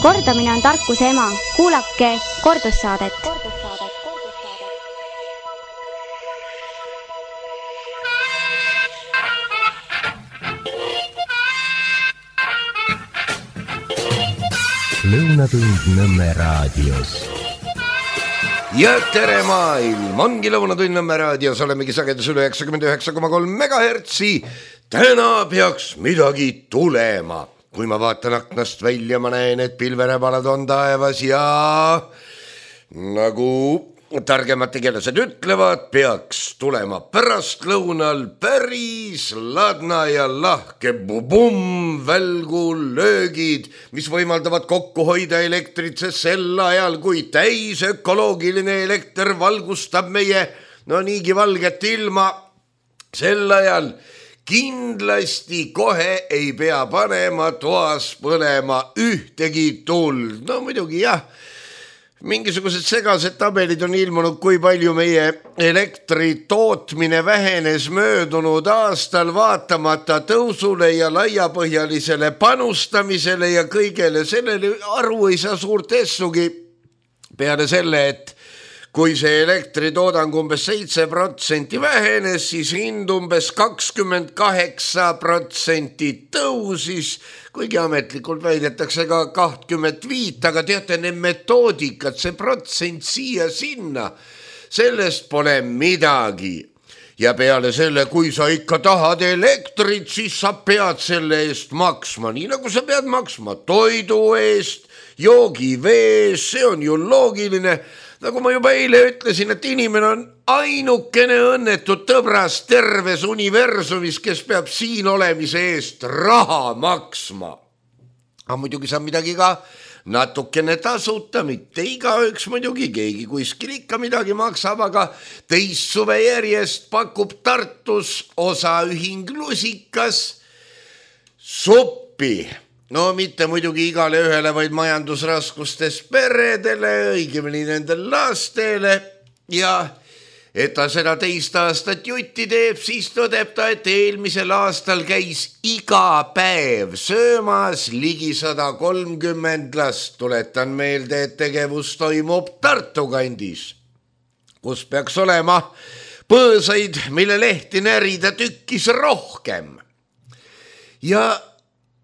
Kordamine on tarkuse ema. Kuulake kordussaadet. Lõunatund Nõmme raadios. Ja tere maailm, ongi Lõunatund Nõmme raadios, olemegi sagedus üle 99,3 megahertsi. Täna peaks midagi tulema. Kui ma vaatan aknast välja, ma näen, et pilverebalad on taevas ja nagu targemad tegelased ütlevad, peaks tulema pärastlõunal päris ladna ja lahke bubum, välgu löögid, mis võimaldavad kokku hoida elektrit, sest sel ajal, kui täis ökoloogiline elekter valgustab meie niigi valget ilma, sel ajal kindlasti kohe ei pea panema toas põlema ühtegi tuld. No muidugi jah, mingisugused segased tabelid on ilmunud, kui palju meie elektri tootmine vähenes möödunud aastal vaatamata tõusule ja laiapõhjalisele panustamisele ja kõigele sellele aru ei saa suurt essugi peale selle, et kui see elektritoodang umbes 7% vähenes, siis hind umbes 28% tõusis, kuigi ametlikult väidetakse ka 25%, aga teate, need metoodikad, see protsent siia-sinna, sellest pole midagi. Ja peale selle, kui sa ikka tahad elektrit, siis sa pead selle eest maksma, nii nagu sa pead maksma toidu eest, joogivee eest, see on ju loogiline. Nagu ma juba eile ütlesin, et inimene on ainukene õnnetud tõbras terves universumis, kes peab siin olemise eest raha maksma. Aga muidugi saab midagi ka natukene tasuta, mitte igaüks muidugi, keegi kuskil ikka midagi maksab, aga teist suve järjest pakub Tartus osaühing Lusikas suppi. No mitte muidugi igale ühele, vaid majandusraskustes peredele, õigemini nendel lastele ja et ta seda teist aastat jutti teeb, siis tõdeb ta, et eelmisel aastal käis iga päev söömas ligi 130 last. Tuletan meelde, et tegevus toimub Tartu kandis, kus peaks olema põõsaid, mille lehti närida tükkis rohkem. Ja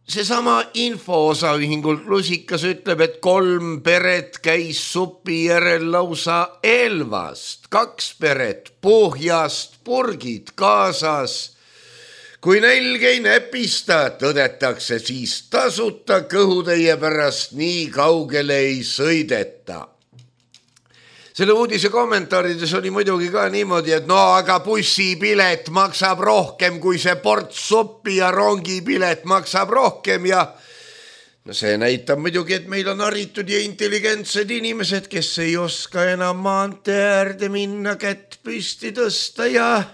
seesama infoosaühingult Lusikas ütleb, et 3 peret käis supi järel lausa Elvast, 2 peret Pohjast, purgid kaasas. Kui nälg ei näpista, tõdetakse, siis tasuta kõhutäie pärast nii kaugele ei sõideta. Selle uudise kommentaarides oli muidugi ka niimoodi, et aga bussipilet maksab rohkem kui see ports suppi ja rongipilet maksab rohkem ja see näitab muidugi, et meil on haritud ja intelligentsed inimesed, kes ei oska enam maantee äärde minna, kätt püsti tõsta ja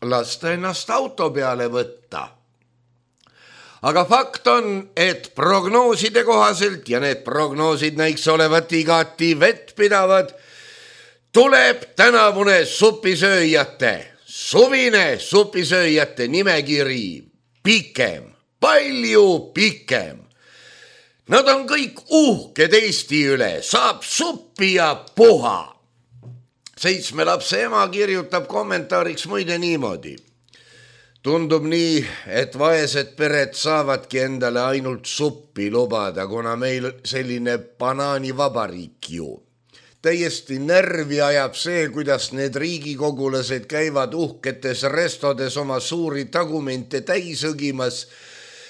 lasta ennast auto peale võtta. Aga fakt on, et prognooside kohaselt ja need prognoosid näiks olevat igati vettpidavad, tuleb tänavune suvine supisööjate nimekiri pikem, palju pikem. Nad on kõik uhked Eesti üle, saab suppi ja puha. 7 lapse ema kirjutab kommentaariks muide niimoodi. Tundub nii, et vaesed pered saavadki endale ainult suppi lubada, kuna meil selline banaanivabariik ju. Täiesti närvi ajab see, kuidas need riigikogulased käivad uhketes restodes oma suuri tagumente täis õgimas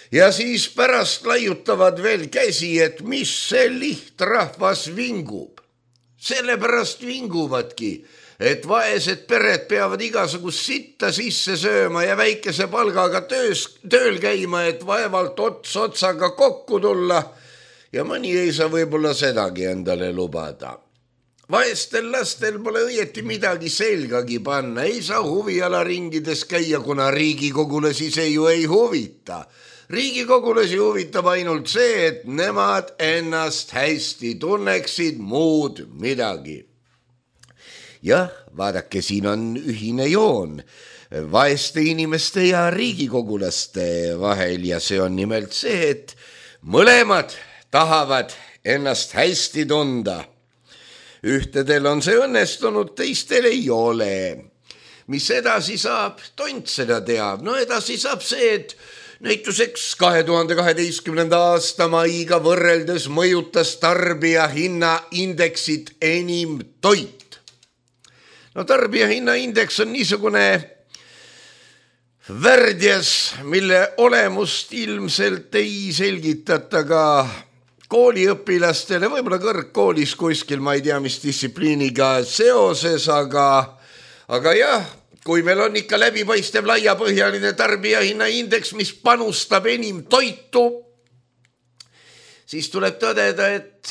ja siis pärast laiutavad veel käsi, et mis see lihtrahvas vingub. Sellepärast vinguvadki, et vaesed pered peavad igasugust sitta sisse sööma ja väikese palgaga tööl käima, et vaevalt ots otsaga kokku tulla ja mõni ei saa võib-olla sedagi endale lubada. Vaestel lastel pole õieti midagi selgagi panna, ei saa huvialaringides käia, kuna riigikogulasi see ju ei huvita. Riigikogulasi huvitab ainult see, et nemad ennast hästi tunneksid, muud midagi. Jah, vaadake, siin on ühine joon vaeste inimeste ja riigikogulaste vahel ja see on nimelt see, et mõlemad tahavad ennast hästi tunda. Ühtedel on see õnnestunud, teistel ei ole. Mis edasi saab? Tont seda teab. No edasi saab see, et näituseks 2012. aasta maiga võrreldes mõjutas tarbija hinnaindeksit enim toit. No tarbija hinnaindeks on niisugune värdjas, mille olemust ilmselt ei selgitata ka kooliõpilastele, võib-olla kõrgkoolis kuskil, ma ei tea, mis distsipliiniga seoses, aga jah, kui meil on ikka läbipaistev laiapõhjaline tarbijahinnaindeks, mis panustab enim toitu, siis tuleb tõdeda, et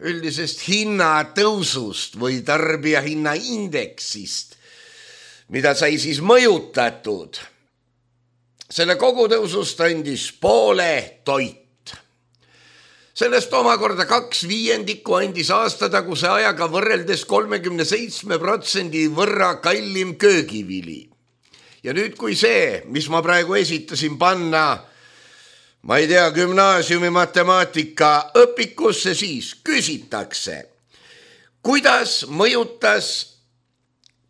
üldisest hinnatõusust või tarbijahinnaindeksist, mida sai siis mõjutatud, selle kogutõusust andis poole toit. Sellest omakorda 2/5 andis aastataguse ajaga võrreldes 37% võrra kallim köögivili. Ja nüüd, kui see, mis ma praegu esitasin, panna, ma ei tea, gümnaasiumi matemaatika õpikusse, siis küsitakse, kuidas mõjutas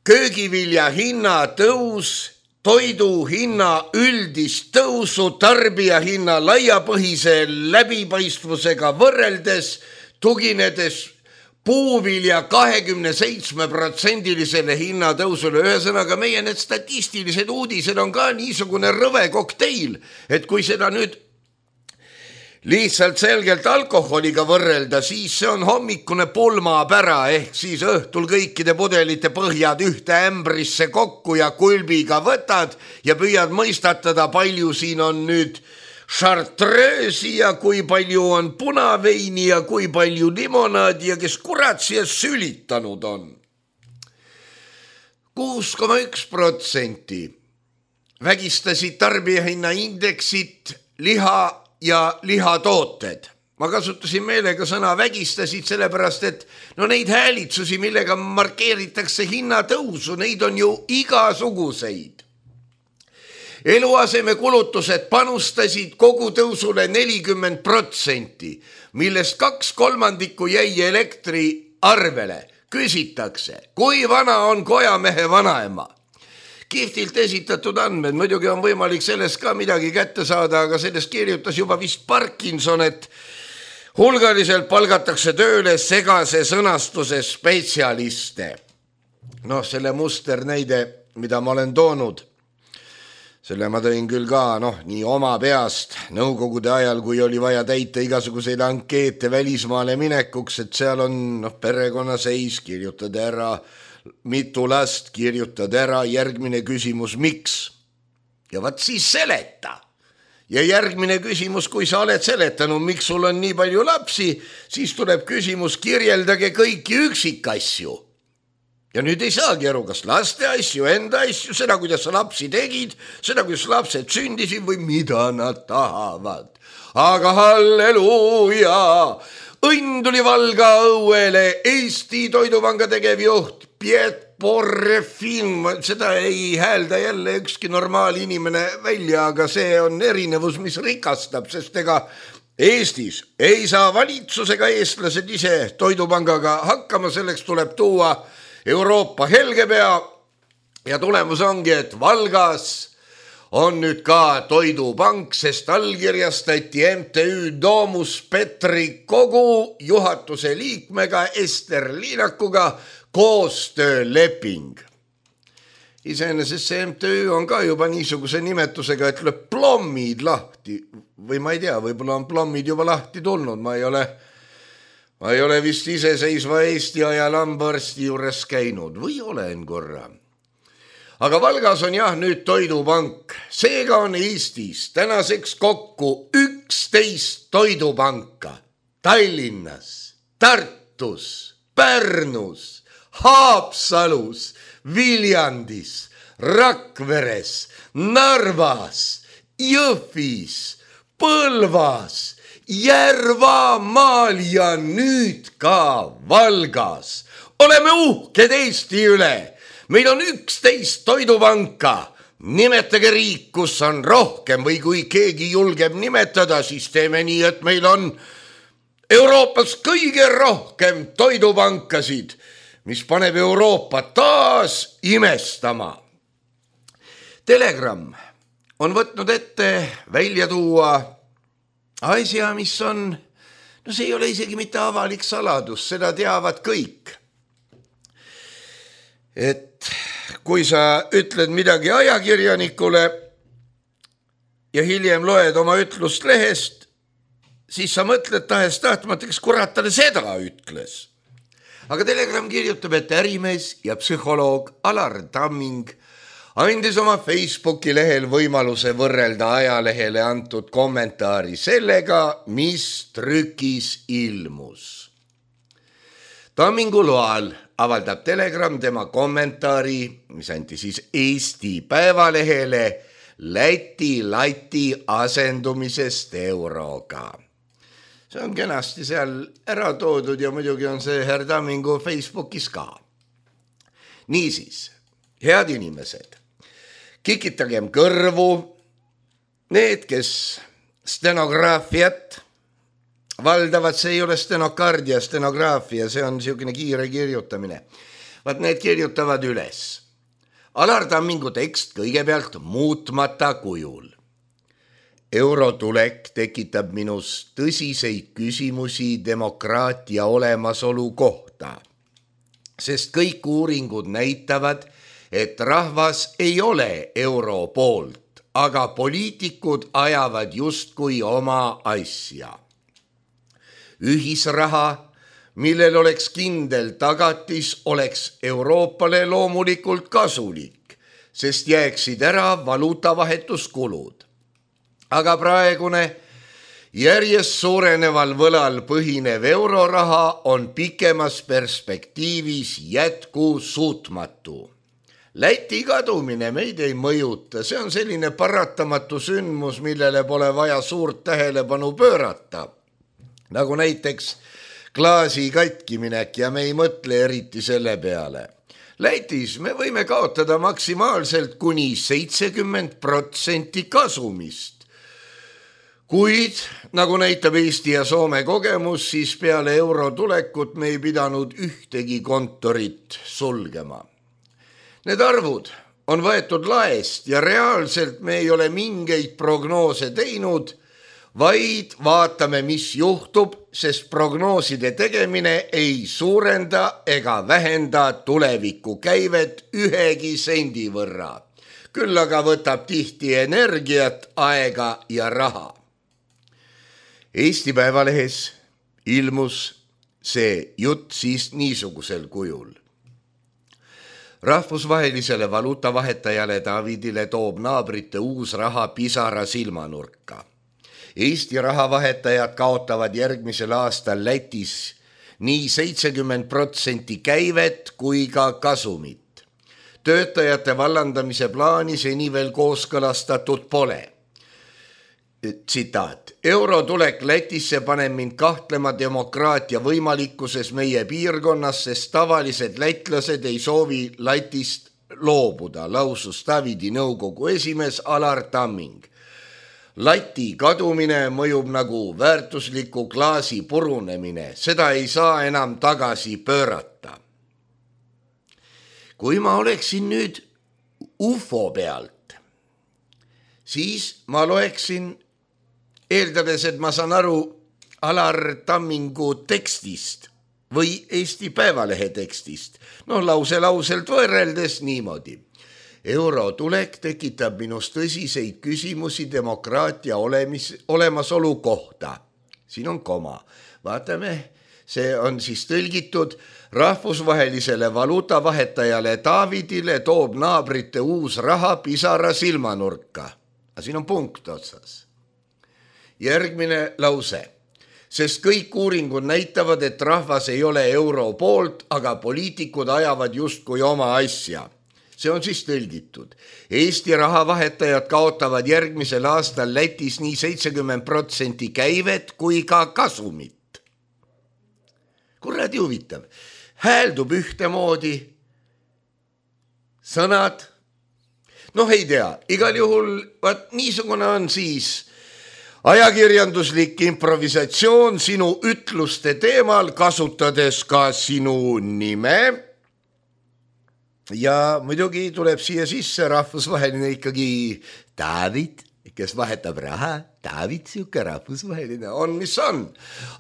köögivilja hinna tõus toidu hinna üldist tõusu tarbija hinna laiapõhise läbipaistvusega võrreldes, tuginedes puuvilja 27%-lisele hinnatõusule. Ühesõnaga, meie need statistilised uudised on ka niisugune rõve kokteil, et kui seda nüüd lihtsalt selgelt alkoholiga võrrelda, siis see on hommikune pulmapära, ehk siis õhtul kõikide pudelite põhjad ühte ämbrisse kokku ja kulbiga võtad ja püüad mõistatada, palju siin on nüüd chartreuse'i ja kui palju on punaveini ja kui palju limonaadi ja kes kurat siia sülitanud on. 6,1% vägistasid tarbijahinnaindeksit liha ja lihatooted. Ma kasutasin meelega sõna vägistasid sellepärast, et neid häälitsusi, millega markeeritakse hinnatõusu, neid on ju igasuguseid. Eluaseme kulutused panustasid kogutõusule 40%, millest 2/3 jäi elektri arvele. Küsitakse, kui vana on kojamehe vanaema? Kihvtilt esitatud andmed, muidugi on võimalik sellest ka midagi kätte saada, aga sellest kirjutas juba vist Parkinson, et hulgaliselt palgatakse tööle segase sõnastuse spetsialiste. Selle musternäide, mida ma olen toonud, selle ma tõin küll ka, nii oma peast nõukogude ajal, kui oli vaja täita igasuguseid ankeete välismaale minekuks, et seal on perekonnaseis, kirjutad ära, mitu last, kirjutad ära, järgmine küsimus, miks? Ja vaat siis seleta. Ja järgmine küsimus, kui sa oled seletanud, miks sul on nii palju lapsi, siis tuleb küsimus, kirjeldage kõiki üksikasju. Ja nüüd ei saagi aru, kas laste asju, enda asju, seda, kuidas sa lapsi tegid, seda, kuidas lapsed sündisid või mida nad tahavad. Aga halleluuja! Õnn tuli Valga õuele, Eesti Toidupanga tegevjuht Piet Porrefin, seda ei häälda jälle ükski normaal inimene välja, aga see on erinevus, mis rikastab, sest ega Eestis ei saa valitsusega eestlased ise Toidupangaga hakkama, selleks tuleb tuua Euroopa helgepea ja tulemus ongi, et Valgas on nüüd ka Toidupank, sest allkirjastati MTÜ Domus Petri kogu juhatuse liikmega Ester Liinakuga koostööleping. Iseenesest see MTÜ on ka juba niisuguse nimetusega, et lööb plommid lahti või ma ei tea, võib-olla on plommid juba lahti tulnud, ma ei ole vist iseseisva Eesti ajal hambaarsti juures käinud või olen korra. Aga Valgas on jah nüüd Toidupank, seega on Eestis tänaseks kokku 11 toidupanka Tallinnas, Tartus, Pärnus, Haapsalus, Viljandis, Rakveres, Narvas, Jõhvis, Põlvas, Järvamaal ja nüüd ka Valgas. Oleme uhked Eesti üle. Meil on 11 toidupanka. Nimetage riik, kus on rohkem või kui keegi julgeb nimetada, siis teeme nii, et meil on Euroopas kõige rohkem toidupankasid, mis paneb Euroopa taas imestama. Telegram on võtnud ette välja tuua asja, mis on, no see ei ole isegi mitte avalik saladus, seda teavad kõik. Et kui sa ütled midagi ajakirjanikule ja hiljem loed oma ütlust lehest, siis sa mõtled tahes tahtmata, kes kurat talle seda ütles. Aga Telegram kirjutab, et ärimees ja psühholoog Alar Tamming andis oma Facebooki lehel võimaluse võrrelda ajalehele antud kommentaari sellega, mis trükis ilmus. Tammingu loal avaldab Telegram tema kommentaari, mis anti siis Eesti Päevalehele Läti lati asendumisest euroga. See on kenasti seal ära toodud ja muidugi on see härra Tammingu Facebookis ka. Niisiis, head inimesed, kikitagem kõrvu, need, kes stenograafiat valdavad, see ei ole stenokardia, stenograafia, see on niisugune kiire kirjutamine. Vaat need kirjutavad üles. Alar Tammingu tekst kõigepealt muutmata kujul. Eurotulek tekitab minus tõsiseid küsimusi demokraatia olemasolu kohta, sest kõik uuringud näitavad, et rahvas ei ole euro poolt, aga poliitikud ajavad justkui oma asja. Ühisraha, millel oleks kindel tagatis, oleks Euroopale loomulikult kasulik, sest jääksid ära valuutavahetuskulud. Aga praegune järjest suureneval võlal põhinev euroraha on pikemas perspektiivis jätkusuutmatu. Läti kadumine meid ei mõjuta, see on selline paratamatu sündmus, millele pole vaja suurt tähelepanu pöörata. Nagu näiteks klaasi katkiminek ja me ei mõtle eriti selle peale. Lätis me võime kaotada maksimaalselt kuni 70% kasumist. Kuid, nagu näitab Eesti ja Soome kogemus, siis peale euro tulekut me ei pidanud ühtegi kontorit sulgema. Need arvud on võetud laest ja reaalselt me ei ole mingeid prognoose teinud, vaid vaatame, mis juhtub, sest prognooside tegemine ei suurenda ega vähenda tuleviku käivet ühegi sendi võrra. Küll aga võtab tihti energiat, aega ja raha. Eesti Päevalehes ilmus see jutt siis niisugusel kujul. Rahvusvahelisele valuutavahetajale Davidile toob naabrite uus raha pisara silmanurka. Eesti rahavahetajad kaotavad järgmisel aastal Lätis nii 70% käivet kui ka kasumit. Töötajate vallandamise plaani seni veel kooskõlastatud pole. Tsitaat. Eurotulek Lätisse paneb mind kahtlema demokraatia võimalikkuses meie piirkonnas, sest tavalised lätlased ei soovi Lätist loobuda, lausus Davidi nõukogu esimees Alar Tamming. Läti kadumine mõjub nagu väärtusliku klaasi purunemine, seda ei saa enam tagasi pöörata. Kui ma oleksin nüüd UFO pealt, siis ma loeksin, eeldades, et ma saan aru Alar Tammingu tekstist või Eesti Päevalehe tekstist, lauselt võrreldes niimoodi. Eurotulek tekitab minus tõsiseid küsimusi demokraatia olemasolu kohta. Siin on koma. Vaatame, see on siis tõlgitud. Rahvusvahelisele valuutavahetajale Davidile toob naabrite uus raha pisara silmanurka. Siin on punkt otsas. Järgmine lause. Sest kõik uuringud näitavad, et rahvas ei ole euro poolt, aga poliitikud ajavad justkui oma asja. See on siis tõlgitud. Eesti rahavahetajad kaotavad järgmisel aastal Lätis nii 70% käivet kui ka kasumit. Kuradi huvitav. Hääldub ühtemoodi. Sõnad. Ei tea. Igal juhul niisugune on siis ajakirjanduslik improvisatsioon sinu ütluste teemal, kasutades ka sinu nime. Ja muidugi tuleb siia sisse rahvusvaheline ikkagi David, kes vahetab raha. David, siuke rahvusvaheline on, mis on.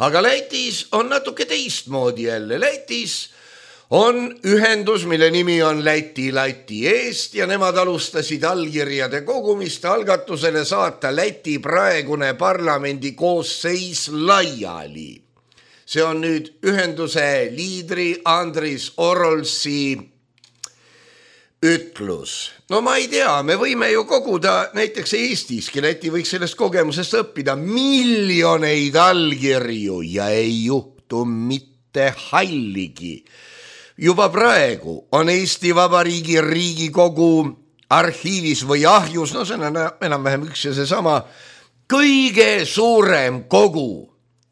Aga Lätis on natuke teistmoodi jälle. Lätis on ühendus, mille nimi on Läti eest ja nemad alustasid allkirjade kogumist algatusele saata Läti praegune parlamendi koosseis laiali. See on nüüd ühenduse liidri Andris Orolsi ütlus. No ma ei tea, me võime ju koguda näiteks Eestiski, Läti võiks sellest kogemusest õppida miljoneid allkirju ja ei juhtu mitte halligi. Juba praegu on Eesti Vabariigi Riigikogu arhiivis või ahjus, no see on enam-vähem üks ja seesama, kõige suurem kogu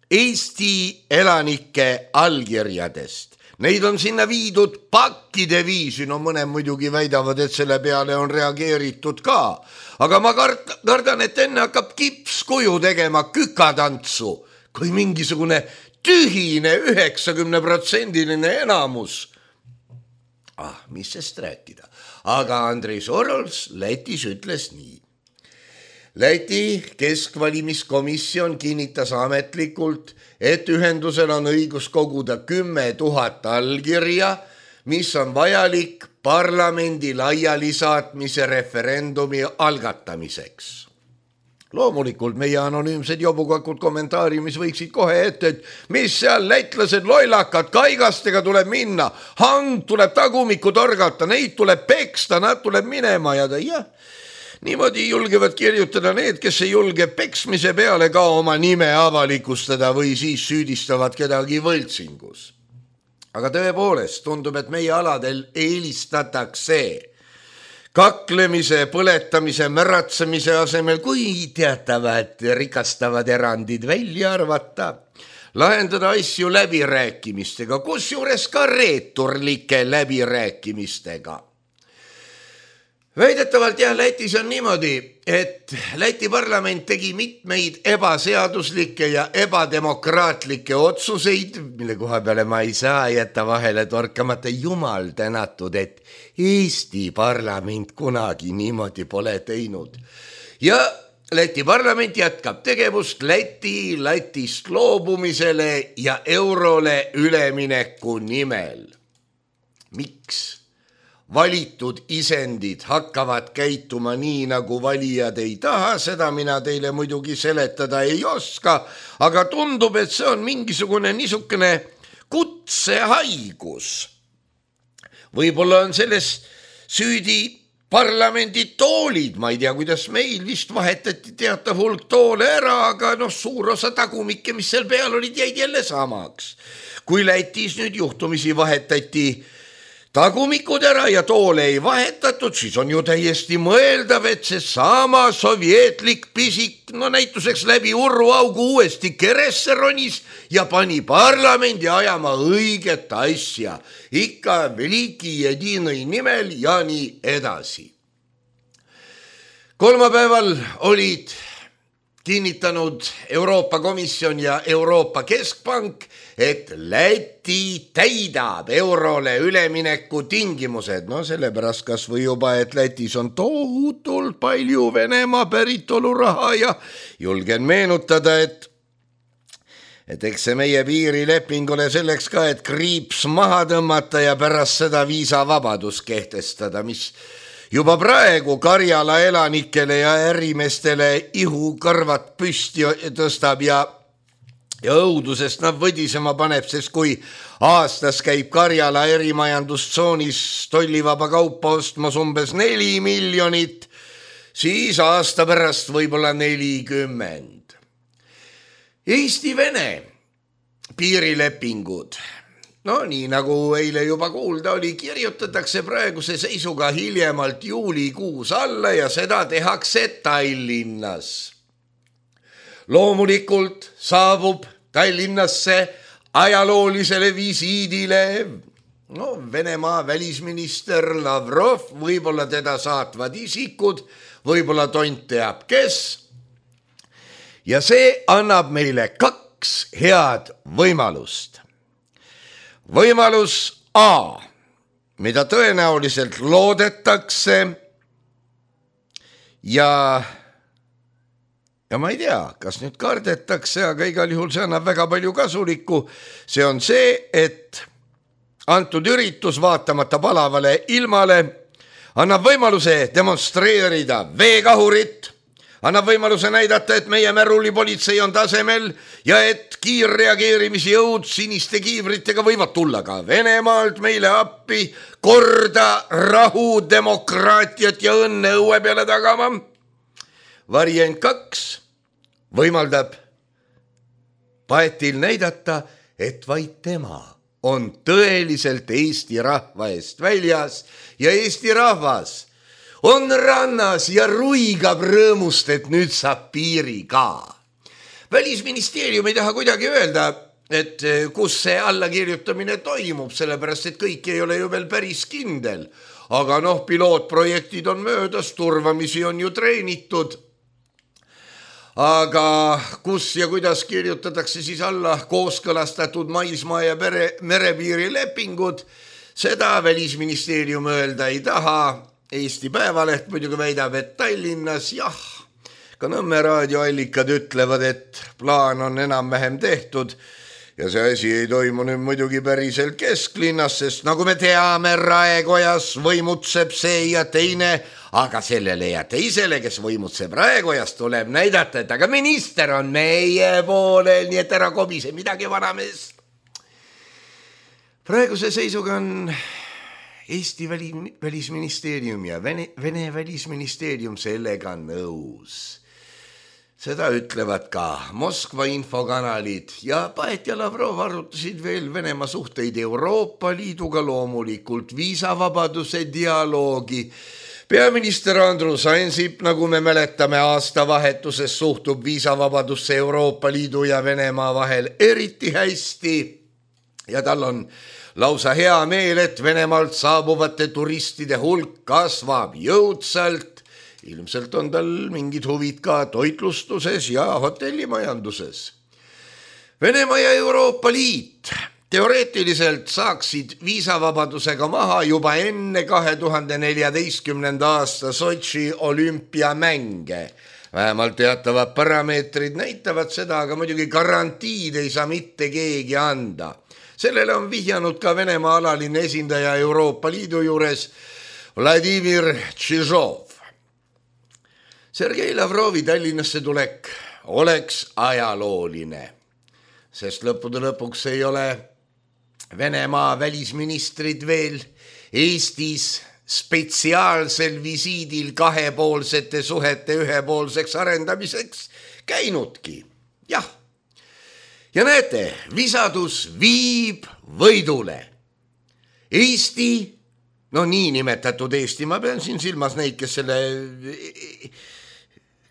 Eesti elanike allkirjadest. Neid on sinna viidud pakkide viisi, no mõne muidugi väidavad, et selle peale on reageeritud ka. Aga ma kardan, et enne hakkab kipskuju tegema kükatantsu, kui mingisugune tühine 90% enamus. Mis sest rääkida. Aga Andris Orols Lätis ütles nii. Läti keskvalimiskomisjon kinnitas ametlikult, et ühendusel on õigus koguda 10 000 allkirja, mis on vajalik parlamendi laialisaatmise referendumi algatamiseks. Loomulikult meie anonüümsed jobukakud kommentaariumis võiksid kohe ette, et mis seal lätlased lollakad, kaigastega tuleb minna, hang tuleb tagumikku torgata, neid tuleb peksta, nad tuleb minema ja niimoodi julgevad kirjutada need, kes ei julge peksmise peale ka oma nime avalikustada või siis süüdistavad kedagi võltsingus. Aga tõepoolest tundub, et meie aladel eelistatakse kaklemise, põletamise, märatsemise asemel, kui teatavad rikastavad erandid välja arvata, lahendada asju läbirääkimistega, kusjuures ka reeturlike läbirääkimistega. Väidetavalt Lätis on niimoodi, et Läti parlament tegi mitmeid ebaseaduslikke ja ebademokraatlikke otsuseid, mille koha peale ma ei saa jätta vahele torkamata, jumal tänatud, et Eesti parlament kunagi niimoodi pole teinud. Ja Läti parlament jätkab tegevust Lätist loobumisele ja eurole ülemineku nimel. Miks? Valitud isendid hakkavad käituma nii, nagu valijad ei taha, seda mina teile muidugi seletada ei oska, aga tundub, et see on mingisugune niisugune kutsehaigus. Võib-olla on selles süüdi parlamendi toolid, ma ei tea, kuidas meil vist vahetati teatav hulk toole ära, aga suur osa tagumikke, mis seal peal olid, jäid jälle samaks. Kui Lätis nüüd juhtumisi vahetati tagumikud ära ja toole ei vahetatud, siis on ju täiesti mõeldav, et see sama sovjetlik pisik, näituseks läbi urruaugu uuesti keresse ronis ja pani parlamendi ajama õiget asja, ikka veliki jedinõi nimel ja nii edasi. Kolmapäeval olid kinnitanud Euroopa Komisjon ja Euroopa Keskpank, et Läti täidab eurole ülemineku tingimused. Sellepärast kas või juba, et Lätis on tohutult palju Venemaa päritolu raha ja julgen meenutada, et eks see meie piirileping ole selleks ka, et kriips maha tõmmata ja pärast seda viisavabadus kehtestada, mis juba praegu Karjala elanikele ja ärimestele ihukarvad püsti tõstab ja õudusest nad võdisema paneb, sest kui aastas käib Karjala erimajandustsoonis tollivaba kaupa ostmas umbes 4 miljonit, siis aasta pärast võib-olla 40. Eesti-Vene piirilepingud. Nii nagu eile juba kuulda oli, kirjutatakse praeguse seisuga hiljemalt juulikuus alla ja seda tehakse Tallinnas. Loomulikult saabub Tallinnasse ajaloolisele visiidile Venemaa välisminister Lavrov, võib-olla teda saatvad isikud, võib-olla tont teab kes. ja see annab meile 2 head võimalust. Võimalus A, mida tõenäoliselt loodetakse ja ma ei tea, kas nüüd kardetakse, aga igal juhul see annab väga palju kasulikku. See on see, et antud üritus vaatamata palavale ilmale annab võimaluse demonstreerida veekahurit, annab võimaluse näidata, et meie märullipolitsei on tasemel ja et kiirreageerimisjõud siniste kiivritega võivad tulla ka Venemaalt meile appi korda, rahu, demokraatiat ja õnne õue peale tagama. Variant 2 võimaldab Paetil näidata, et vaid tema on tõeliselt Eesti rahva eest väljas ja Eesti rahvas on rannas ja ruigab rõõmust, et nüüd saab piiri ka. Välisministeerium ei taha kuidagi öelda, et kus see allakirjutamine toimub, sellepärast et kõik ei ole ju veel päris kindel. Aga pilootprojektid on möödas, turvamisi on ju treenitud. Aga kus ja kuidas kirjutatakse siis alla kooskõlastatud maismaa ja merepiiri lepingud, seda Välisministeerium öelda ei taha. Eesti Päevaleht muidugi väidab, et Tallinnas ka Nõmme raadioallikad ütlevad, et plaan on enam-vähem tehtud ja see asi ei toimu nüüd muidugi päriselt kesklinnas, sest nagu me teame, Raekojas võimutseb see ja teine, aga sellele ja teisele, kes võimutseb Raekojas, tuleb näidata, et aga minister on meie poolel, nii et ära kobise midagi vanameest. Praeguse seisuga on Eesti välisministeerium ja Vene välisministeerium sellega nõus. Seda ütlevad ka Moskva infokanalid ja Paet ja Lavrov arutasid veel Venemaa suhteid Euroopa Liiduga, loomulikult viisavabaduse dialoogi. Peaminister Andrus Ansip, nagu me mäletame, aastavahetuses suhtub viisavabadusse Euroopa Liidu ja Venemaa vahel eriti hästi ja tal on lausa hea meel, et Venemaalt saabuvate turistide hulk kasvab jõudsalt. Ilmselt on tal mingid huvid ka toitlustuses ja hotellimajanduses. Venemaa ja Euroopa Liit teoreetiliselt saaksid viisavabadusega maha juba enne 2014. aasta Sotši olümpiamänge. Vähemalt teatavad parameetrid näitavad seda, aga muidugi garantiid ei saa mitte keegi anda. Sellele on vihjanud ka Venemaa alaline esindaja Euroopa Liidu juures Vladimir Tšižov. Sergei Lavrovi Tallinnasse tulek oleks ajalooline, sest lõppude lõpuks ei ole Venemaa välisministrid veel Eestis spetsiaalsel visiidil kahepoolsete suhete ühepoolseks arendamiseks käinudki. Jah. Ja näete, visadus viib võidule. Eesti, niinimetatud Eesti, ma pean siin silmas neid,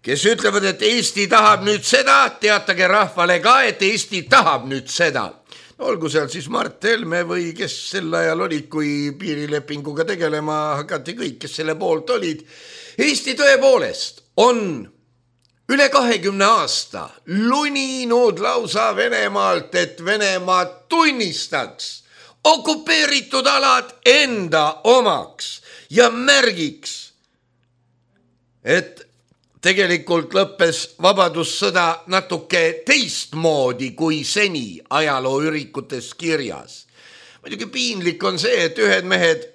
kes ütlevad, et Eesti tahab nüüd seda, teatage rahvale ka, et Eesti tahab nüüd seda. Olgu seal siis Mart Helme või kes sel ajal olid, kui piirilepinguga tegelema hakati kõik, kes selle poolt olid. Eesti tõepoolest on üle 20 aasta luninud lausa Venemaalt, et Venemaa tunnistaks okupeeritud alad enda omaks ja märgiks, et tegelikult lõppes vabadussõda natuke teistmoodi kui seni ajalooürikutes kirjas. Muidugi piinlik on see, et ühed mehed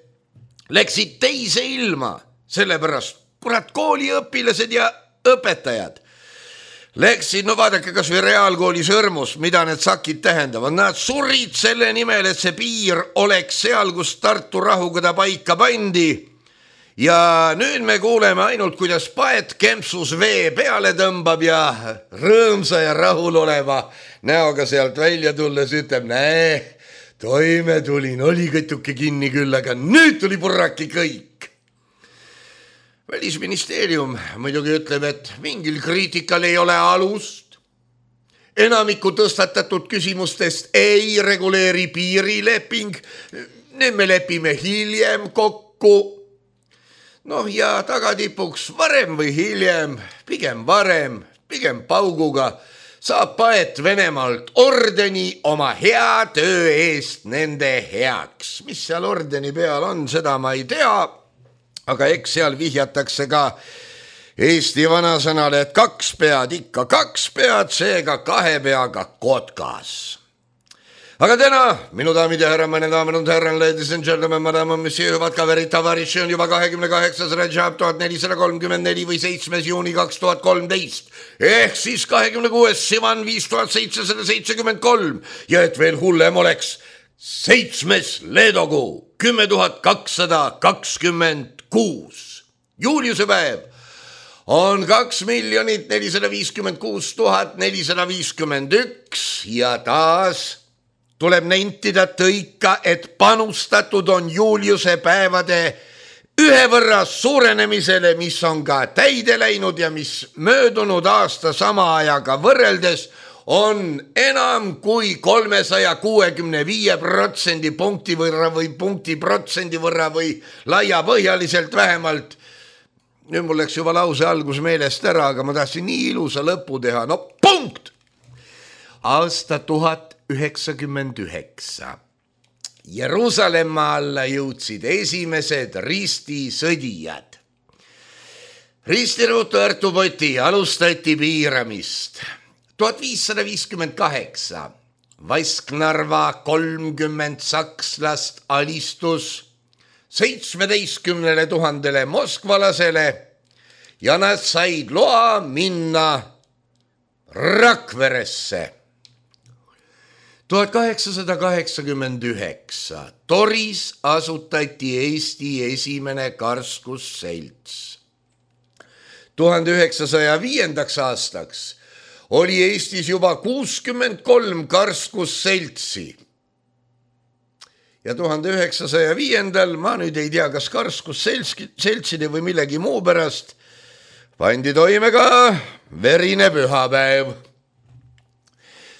läksid teise ilma, sellepärast kooliõpilased ja õpetajad läksid, vaadake kas või reaalkooli Sõrmus, mida need sakid tähendavad. Nad surid selle nimel, et see piir oleks seal, kus Tartu rahukoda paika pandi. Ja nüüd me kuuleme ainult, kuidas Paet kempsus vee peale tõmbab ja rõõmsa ja rahul oleva näoga sealt välja tulles ütleb, toime tulin, oli kõtuke kinni küll, aga nüüd tuli purraki kõik. Välisministeerium muidugi ütleb, et mingil kriitikal ei ole alust. Enamiku tõstatatud küsimustest ei reguleeri piirileping. Nüüd me lepime hiljem kokku. Ja tagatipuks varem või hiljem, pigem varem, pigem pauguga, saab Paet Venemaalt ordeni oma hea töö eest nende heaks. Mis seal ordeni peal on, seda ma ei tea, aga eks seal vihjatakse ka Eesti vanasõnale, et 2 pead ikka 2 pead, seega 2 peaga kotkas. Aga täna, minu daamid ja härra, mõne daamid und härran, ladies and gentlemen, madame, monsieur, vatka veritavariši on juba 28. Rajab 1434 või 7. juuni 2013 ehk siis 26. Sivan 5773 ja et veel hullem oleks 7. leedokuu 10,226 Juliuse päev on 2 456 451 ja taas tuleb nentida tõika, et panustatud on Juliuse päevade 1 võrra suurenemisele, mis on ka täide läinud ja mis möödunud aasta sama ajaga võrreldes on enam kui 365% punkti võrra või punktiprotsendi võrra või laiapõhjaliselt vähemalt. Nüüd mul läks juba lause algus meelest ära, aga ma tahtsin nii ilusa lõpu teha. No punkt! Aasta 1099. Jeruusalemma alla jõudsid esimesed ristisõdijad. Ristiruutu Artupoti alustati piiramist. 1558. Vasknarva 30 sakslast alistus 17 000 moskvalasele ja nad said loa minna Rakveresse. 1889. Toris asutati Eesti esimene karskusselts. 1905. aastaks oli Eestis juba 63 karskusseltsi. Ja 1905. ma nüüd ei tea, kas karskusseltside või millegi muu pärast pandi toime ka verine pühapäev.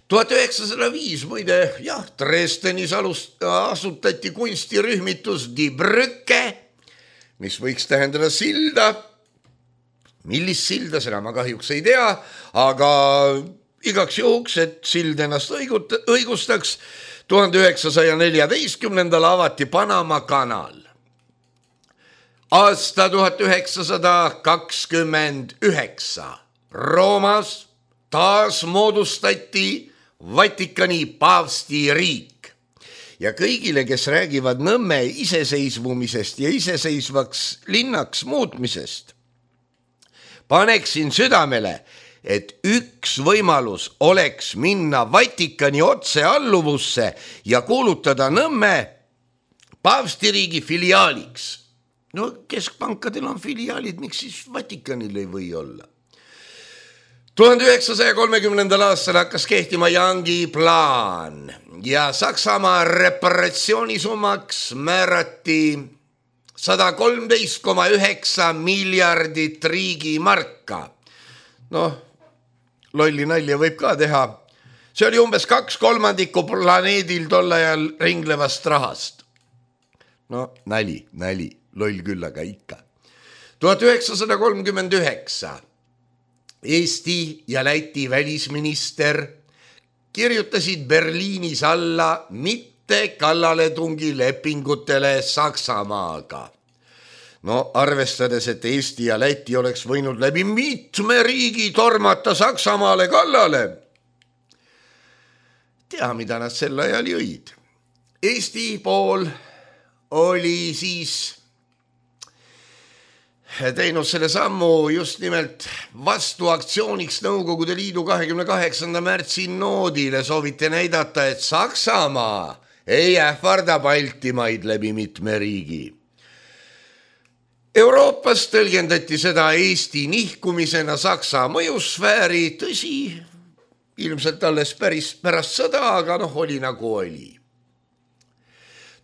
1905 muide, jah, Dresdenis asutati kunstirühmitus Die Brücke, mis võiks tähendada silda. Millist silda, seda ma kahjuks ei tea, aga igaks juhuks, et sild ennast õigustaks, 1914. avati Panama kanal. Aasta 1929. Roomas taas moodustati Vatikani paavsti riik ja kõigile, kes räägivad Nõmme iseseisvumisest ja iseseisvaks linnaks muutmisest, paneksin südamele, et üks võimalus oleks minna Vatikani otsealluvusse ja kuulutada Nõmme paavstiriigi filiaaliks. No keskpankadel on filiaalid, miks siis Vatikanil ei või olla? 1930. aastal hakkas kehtima Youngi plaan ja Saksamaa reparatsioonisummaks määrati 113,9 miljardit riigimarka. Noh, lolli nalja võib ka teha. See oli umbes 2/3 planeedil tol ajal ringlevast rahast. No nali, loll küll, aga ikka. 1939. Eesti ja Läti välisminister kirjutasid Berliinis alla mitte kallaletungi lepingutele Saksamaaga. No arvestades, et Eesti ja Läti oleks võinud läbi mitme riigi tormata Saksamaale kallale. Tea, mida nad sel ajal jõid. Eesti pool oli siis teinud selle sammu just nimelt vastuaktsiooniks Nõukogude Liidu 28. märtsi noodile. Sooviti näidata, et Saksamaa ei ähvarda Baltimaid läbi mitme riigi. Euroopas tõlgendati seda Eesti nihkumisena Saksa mõjusfääri, tõsi, ilmselt alles päris pärast sõda, aga oli nagu oli.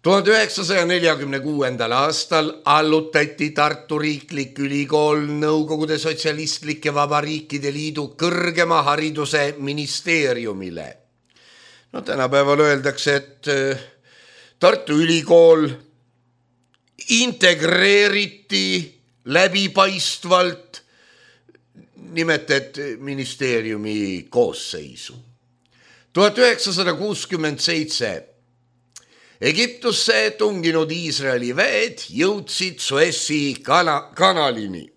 1946. aastal allutati Tartu Riiklik Ülikool Nõukogude Sotsialistlike Vabariikide Liidu kõrgema hariduse ministeeriumile. No tänapäeval öeldakse, et Tartu Ülikool integreeriti läbipaistvalt nimetati ministeeriumi koosseisu. 1967 Egiptusse tunginud Iisraeli väed jõudsid Suessi kanalini.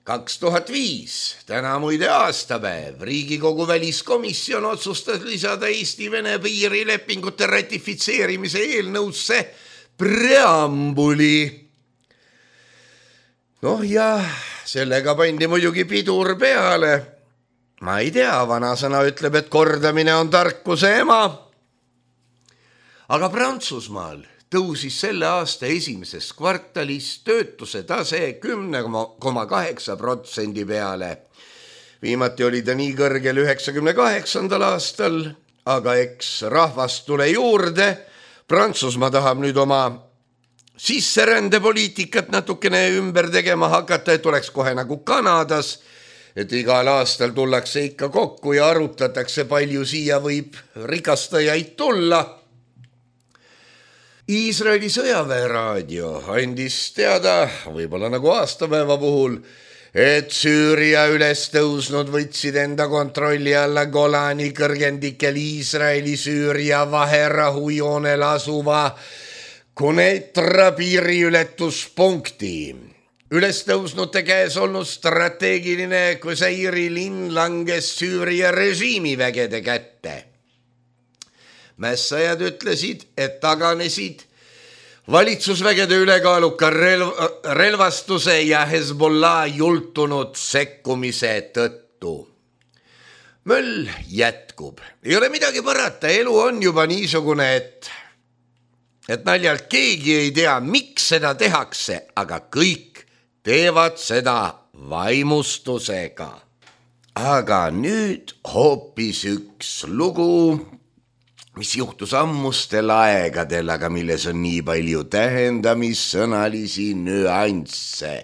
2005, täna muide aastapäev, Riigikogu väliskomisjon otsustas lisada Eesti-Vene piirilepingute ratifitseerimise eelnõusse preambuli. Ja sellega pandi muidugi pidur peale. Ma ei tea, vanasõna ütleb, et kordamine on tarkuse ema. Aga Prantsusmaal tõusis selle aasta esimeses kvartalis töötuse tase 10,8% peale. Viimati oli ta nii kõrgel 98. aastal, aga eks rahvast tule juurde. Prantsusmaa tahab nüüd oma sisserändepoliitikat natukene ümber tegema hakata, et oleks kohe nagu Kanadas, et igal aastal tullakse ikka kokku ja arutatakse, palju siia võib rikastajaid tulla. Iisraeli sõjaväeraadio andis teada, võib-olla nagu aastapäeva puhul, et Süüria üles tõusnud võtsid enda kontrolli alla Golani kõrgendikel Iisraeli-Süüria vaherahujoonel asuva Kuneitra piiriületuspunkti. Üles tõusnute käes olnud strateegiline Kuseiri linn langes Süüria režiimivägede kätte. Mässajad ütlesid, et taganesid valitsusvägede ülekaaluka relvastuse ja Hezbollah jultunud sekkumise tõttu. Möll jätkub. Ei ole midagi parata, elu on juba niisugune, et naljalt keegi ei tea, miks seda tehakse, aga kõik teevad seda vaimustusega. Aga nüüd hoopis üks lugu, mis juhtus ammustel aegadel, aga milles on nii palju tähendamissõnalisi nüansse.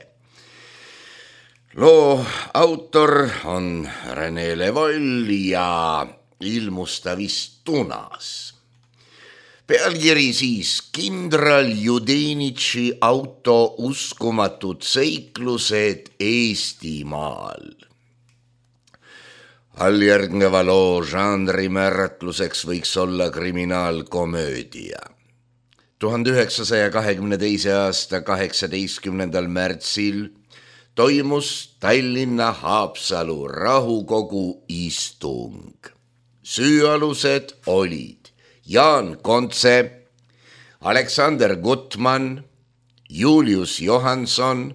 Loo autor on René Levoll ja ilmus ta vist Tunas. Pealkiri siis kindral Judenitši auto uskumatud seiklused Eestimaal. Alljärgneva loo žanri määratluseks võiks olla kriminaalkomöödia. 1922. aasta 18. märtsil toimus Tallinna Haapsalu rahukogu istung. Süüalused olid Jaan Kontse, Aleksander Gutman, Julius Johansson,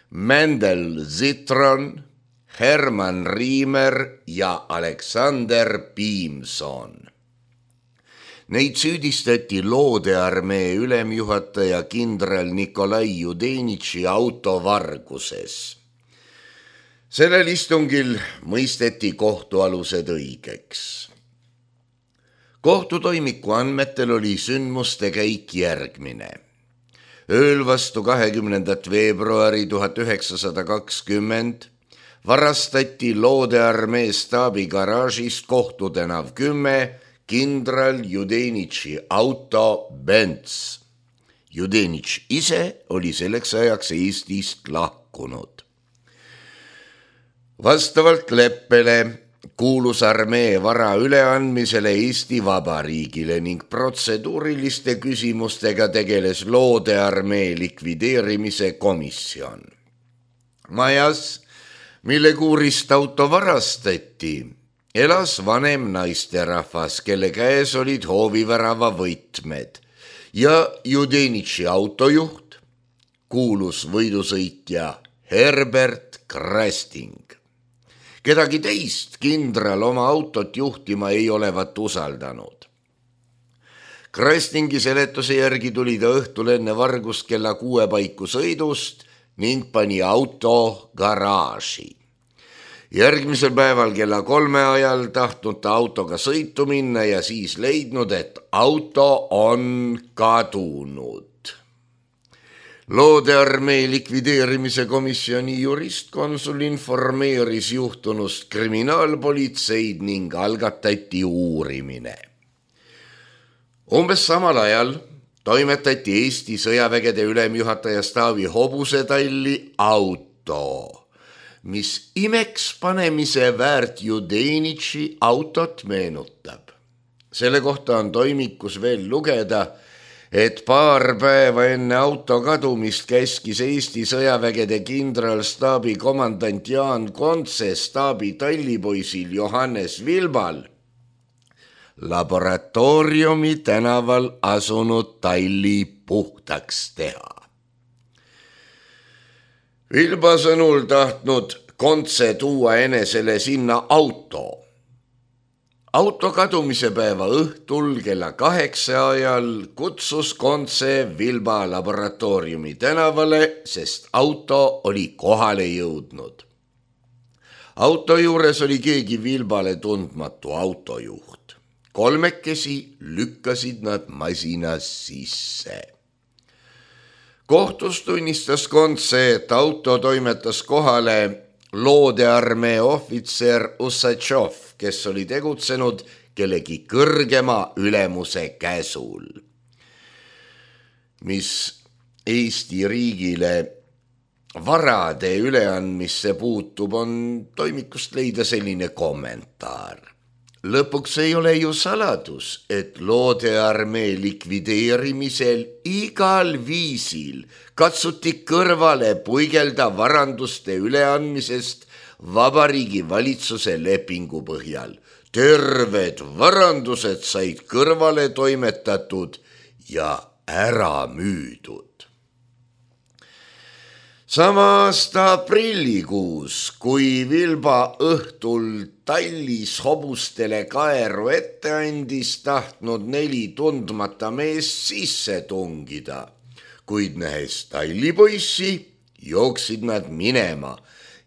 Mendel Zitron, Herman Riimer ja Aleksander Piimson. Neid süüdistati loodearmee ülemjuhataja kindral Nikolai Judenitši autovarguses. Sellel istungil mõisteti kohtualused õigeks. Kohtutoimiku andmetel oli sündmuste käik järgmine. Ööl vastu 20. veebruari 1920 varastati loodearmee staabi garaažist Kohtutänav 10 kindral Judenitši auto Benz. Judenitš ise oli selleks ajaks Eestist lahkunud. Vastavalt leppele kuulus armee vara üleandmisele Eesti Vabariigile ning protseduuriliste küsimustega tegeles loodearmee likvideerimise komisjon. Majas, mille kuurist auto varastati, elas vanem naisterahvas, kelle käes olid hoovivärava võtmed ja Judenitši autojuht, kuulus võidusõitja Herbert Krasting. Kedagi teist kindral oma autot juhtima ei olevat usaldanud. Krastingi seletuse järgi tuli ta õhtul enne vargust kella 6 paiku sõidust ning pani auto garaaži. Järgmisel päeval kella 3 ajal tahtnud ta autoga sõitu minna ja siis leidnud, et auto on kadunud. Loodearmee likvideerimise komisjoni juristkonsul informeeris juhtunust kriminaalpolitseid ning algatati uurimine. Umbes samal ajal toimetati Eesti sõjavägede ülemjuhataja staabi hobusetalli auto, mis imeks panemise väärt Judenitši autot meenutab. Selle kohta on toimikus veel lugeda, et paar päeva enne auto kadumist käskis Eesti sõjavägede kindralstaabi komandant Jaan Kontse staabi tallipoisil Johannes Vilbal laboratooriumi tänaval asunud talli puhtaks teha. Vilba sõnul tahtnud Kontse tuua enesele sinna auto. Auto kadumise päeva õhtul kella 8 ajal kutsus Kontse Vilba laboratooriumi tänavale, sest auto oli kohale jõudnud. Auto juures oli keegi Vilbale tundmatu autojuht. Kolmekesi lükkasid nad masina sisse. Kohtus tunnistas Kontse, et auto toimetas kohale loodearmee ohvitser Usatšov, kes oli tegutsenud kellegi kõrgema ülemuse käsul. Mis Eesti riigile varade üleandmisse puutub, on toimikust leida selline kommentaar. Lõpuks ei ole ju saladus, et loodearmee likvideerimisel igal viisil katsuti kõrvale puigelda varanduste üleandmisest Vabariigi valitsuse lepingu põhjal. Terved varandused said kõrvale toimetatud ja ära müüdud. Sama aasta aprillikuus, kui Vilba õhtul tallis hobustele kaeru ette andis, tahtnud 4 tundmata meest sisse tungida, kuid nähes tallipoissi, jooksid nad minema,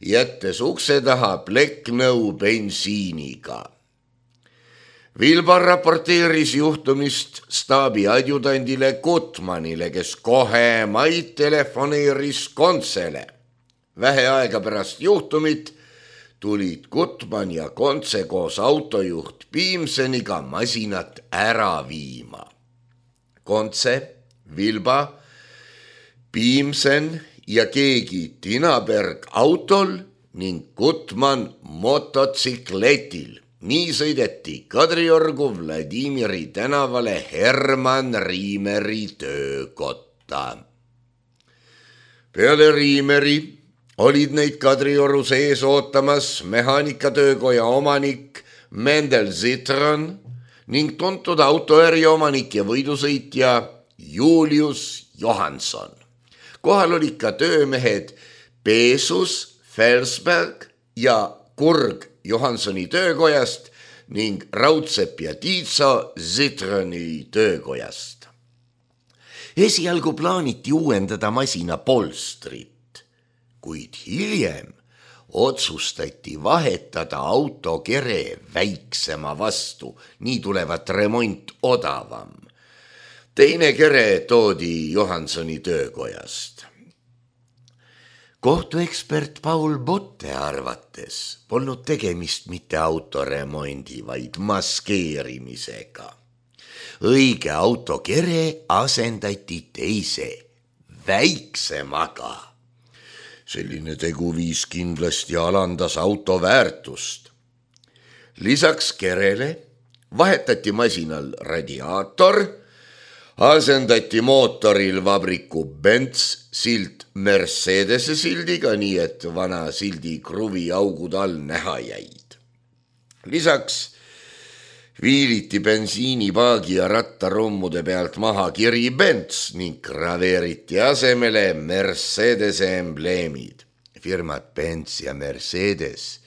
jättes ukse taha plekknõu bensiiniga. Vilba raporteeris juhtumist staabi adjudandile Gutmanile, kes kohe maid telefoneeris Kontsele. Vähe aega pärast juhtumit tulid Gutman ja Kontse koos autojuht Piimseniga masinat ära viima. Kontse, Vilba, Piimsen ja keegi Tinaberg autol ning Gutman mototsikletil. Nii sõideti Kadriorgu Vladimiri tänavale Herman Riimeri töökotta. Peale Riimeri olid neid Kadrioru sees ootamas mehaanikatöökoja omanik Mendel Zitron ning tuntud autoäri omanik ja võidusõitja Julius Johansson. Kohal olid ka töömehed Peesus, Felsberg ja Kurg Johanssoni töökojast ning Raudsepp ja Tiitso Zitroni töökojast. Esialgu plaaniti uuendada masina polstrit, kuid hiljem otsustati vahetada auto kere väiksema vastu, nii tulevat remont odavam. Teine kere toodi Johanssoni töökojast. Kohtuekspert Paul Botte arvates polnud tegemist mitte autoremondi, vaid maskeerimisega. Õige autokere asendati teise, väiksemaga. Selline tegu viis kindlasti alandas auto väärtust. Lisaks kerele vahetati masinal radiaator, asendati mootoril vabriku Benz silt Mercedese sildiga, nii et vana sildi kruvi augud all näha jäid. Lisaks viiliti bensiinipaagi ja rattarummude pealt maha kiri Benz ning graveeriti asemele Mercedese embleemid. Firmad Benz ja Mercedes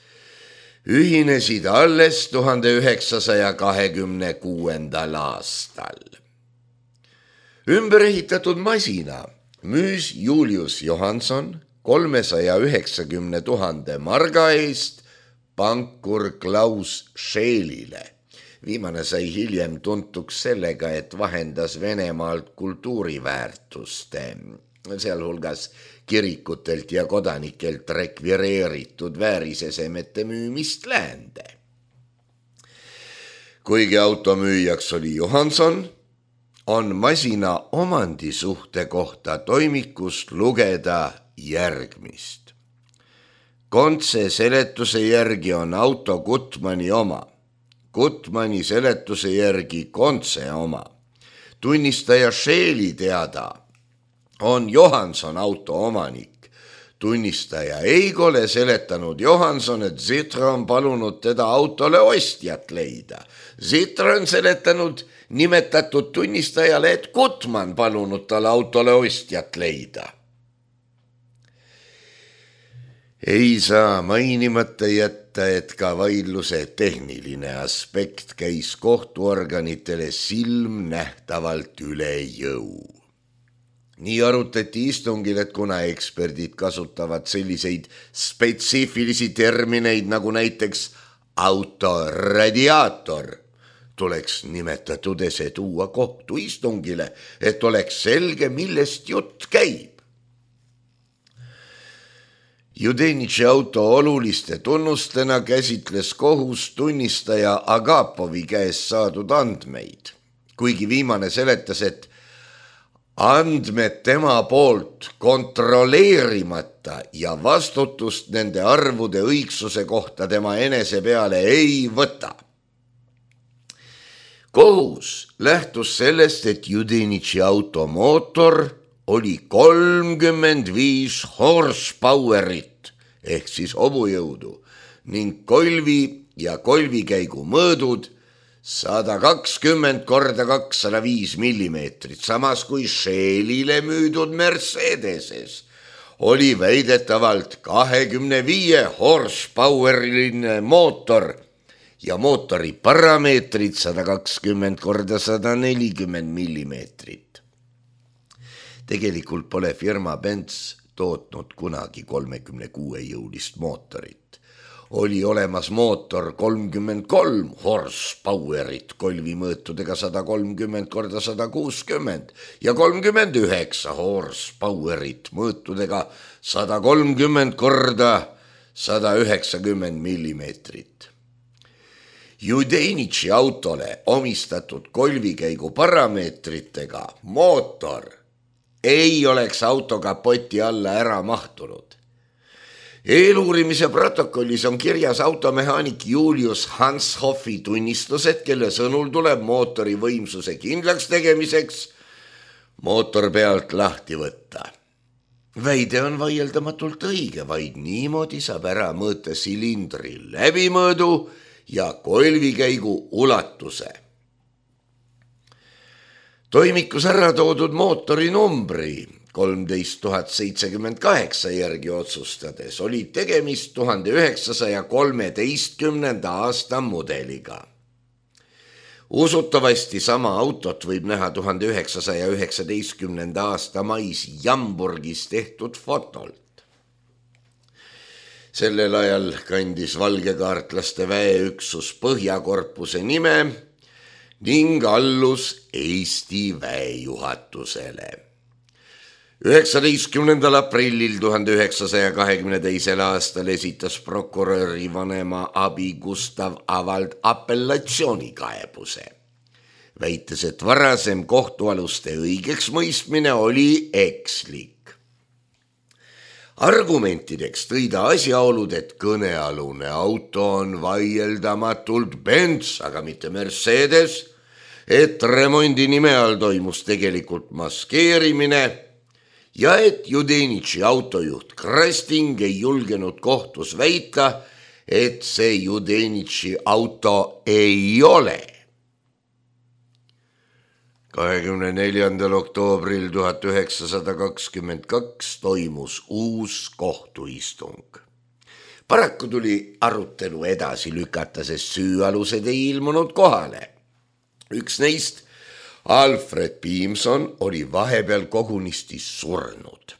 ühinesid alles 1926. aastal. Ümberehitatud masina müüs Julius Johansson 390 000 marga eest pankur Klaus Scheelile. Viimane sai hiljem tuntuks sellega, et vahendas Venemaalt kultuuriväärtuste, sealhulgas kirikutelt ja kodanikelt rekvireeritud väärisesemete müümist läände. Kuigi automüüjaks oli Johansson, on masina omandisuhte kohta toimikust lugeda järgmist. Kontse seletuse järgi on auto Gutmani oma. Gutmani seletuse järgi Kontse oma. Tunnistaja Scheeli teada on Johanson auto omanik. Tunnistaja Eigole seletanud Johanson, et Zitra on palunud teda autole ostjat leida. Zitra on seletanud nimetatud tunnistajale, et Gutman palunud talle autole ostjat leida. Ei saa mainimata jätta, et ka vaidluse tehniline aspekt käis kohtuorganitele silmnähtavalt üle jõu. Nii arutati istungil, et kuna eksperdid kasutavad selliseid spetsiifilisi termineid nagu näiteks autoradiaator, tuleks nimetatud ese tuua kohtuistungile, et oleks selge, millest jutt käib. Judenitši auto oluliste tunnustena käsitles kohus tunnistaja Agapovi käest saadud andmeid, kuigi viimane seletas, et andmed tema poolt kontrolleerimata ja vastutust nende arvude õigsuse kohta tema enese peale ei võta. Kohus lähtus sellest, et Judenitši auto mootor oli 35 horsepowerit ehk siis hobujõudu ning kolvi ja kolvikäigu mõõdud 120 korda 205 millimeetrit, samas kui Scheelile müüdud Mercedeses oli väidetavalt 25 horsepoweriline mootor ja mootori parameetrid 120 korda 140 millimeetrit. Tegelikult pole firma Benz tootnud kunagi 36-jõulist mootorit. Oli olemas mootor 33 horsepowerit kolvimõõtudega 130 korda 160 ja 39 horsepowerit mõõtudega 130 korda 190 millimeetrit. Judenitši autole omistatud kolvikäigu parameetritega mootor ei oleks auto kapoti alla ära mahtunud. Eeluurimise protokollis on kirjas automehaanik Julius Hanshoffi tunnistused, kelle sõnul tuleb mootori võimsuse kindlaks tegemiseks mootor pealt lahti võtta. Väide on vaieldamatult õige, vaid niimoodi saab ära mõõta silindri läbimõõdu ja kolvikäigu ulatuse. Toimikus ära toodud mootori numbri 13078 järgi otsustades oli tegemist 1913. aasta mudeliga. Usutavasti sama autot võib näha 1919. aasta mais Jamburgis tehtud fotolt. Sellel ajal kandis valgekaartlaste väeüksus Põhjakorpuse nime ning allus Eesti väejuhatusele. 19. aprillil 1922. aastal esitas prokuröri vanema abi Gustav Avald apellatsioonikaebuse, väites, et varasem kohtualuste õigeks mõistmine oli ekslik. Argumentideks tõi ta asjaolud, et kõnealune auto on vaieldamatult Benz, aga mitte Mercedes, et remondi nime all toimus tegelikult maskeerimine ja et Judenitši autojuht Krasting ei julgenud kohtus väita, et see Judenitši auto ei ole. 24. oktoobril 1922 toimus uus kohtuistung. Paraku tuli arutelu edasi lükata, sest süüalused ei ilmunud kohale. Üks neist, Alfred Piimson, oli vahepeal kogunisti surnud.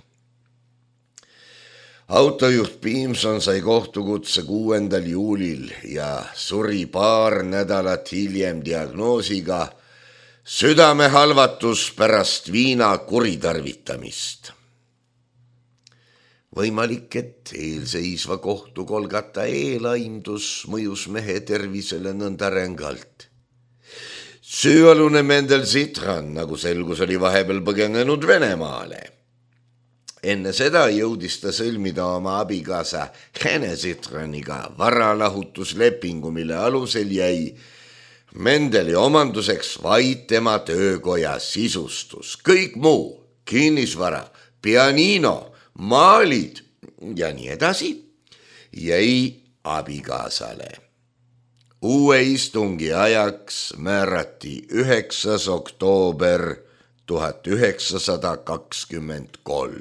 Autojuht Piimson sai kohtukutse 6. juulil ja suri paar nädalat hiljem diagnoosiga südamehalvatus pärast viina kuritarvitamist. Võimalik, et eelseisva kohtukolgata eelaimdus mõjus mehe tervisele nõnda rängalt. Süüalune Mendel Zitran, nagu selgus, oli vahepeal põgenenud Venemaale. Enne seda jõudis ta sõlmida oma abikaasa Hene Citroniga varalahutuslepingu, mille alusel jäi Mendeli omanduseks vaid tema töökoja sisustus. Kõik muu, kinnisvara, pianino, maalid ja nii edasi jäi abikaasale. Uue istungi ajaks määrati 9. oktoober 1923.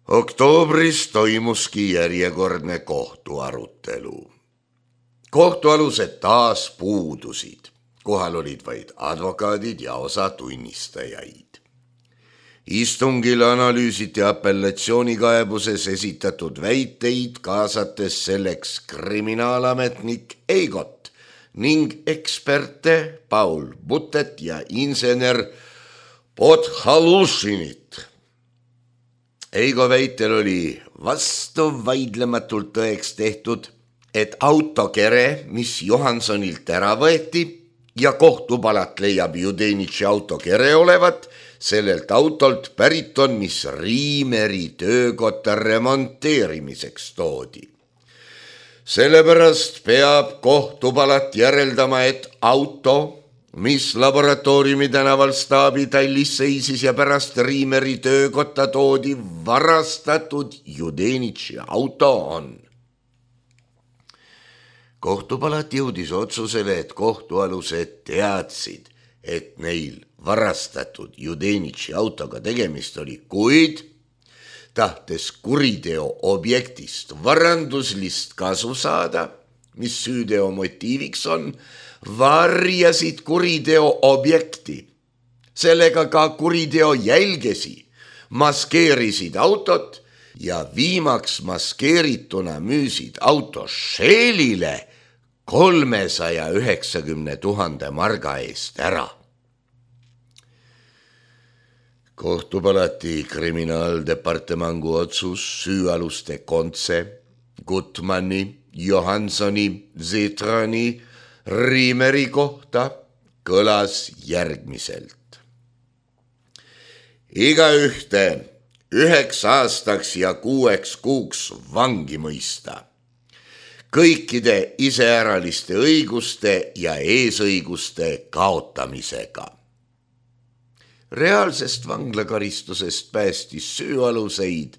Oktoobris toimuski järjekordne kohtuarutelu. Kohtualused taas puudusid. Kohal olid vaid advokaadid ja osa tunnistajaid. Istungil analüüsiti apellatsioonikaebuses esitatud väiteid, kaasates selleks kriminaalametnik Eigot ning eksperte Paul Butet ja insener Podhalušinit. Eigo väitel oli vastuvaidlematult tõeks tehtud, et autokere, mis Johansonilt ära võeti ja kohtupalat leiab Judenitši autokere olevat, sellelt autolt pärit on, mis Riimeri töökotta remonteerimiseks toodi. Sellepärast peab kohtupalat järeldama, et auto, mis laboratooriumi tänaval staabitallis seisis ja pärast Riimeri töökotta toodi, varastatud Judenitši auto on. Kohtupalat jõudis otsusele, et kohtualused teadsid, et neil varastatud Judenitši autoga tegemist oli, kuid tahtes kuriteo objektist varanduslist kasu saada, mis süüteo motiiviks on, varjasid kuriteo objekti. Sellega ka kuriteo jälgesi, maskeerisid autot ja viimaks maskeerituna müüsid auto Shellile 390 000 marga eest ära. Kohtupalati kriminaaldepartemangu otsus süüaluste Kontse, Gutmanni, Johansoni, Citroni, Riimeri kohta kõlas järgmiselt. Igaühte 9 aastaks ja 6 kuuks vangi mõista. Kõikide iseäraliste õiguste ja eesõiguste kaotamisega. Reaalsest vanglakaristusest päästis süüaluseid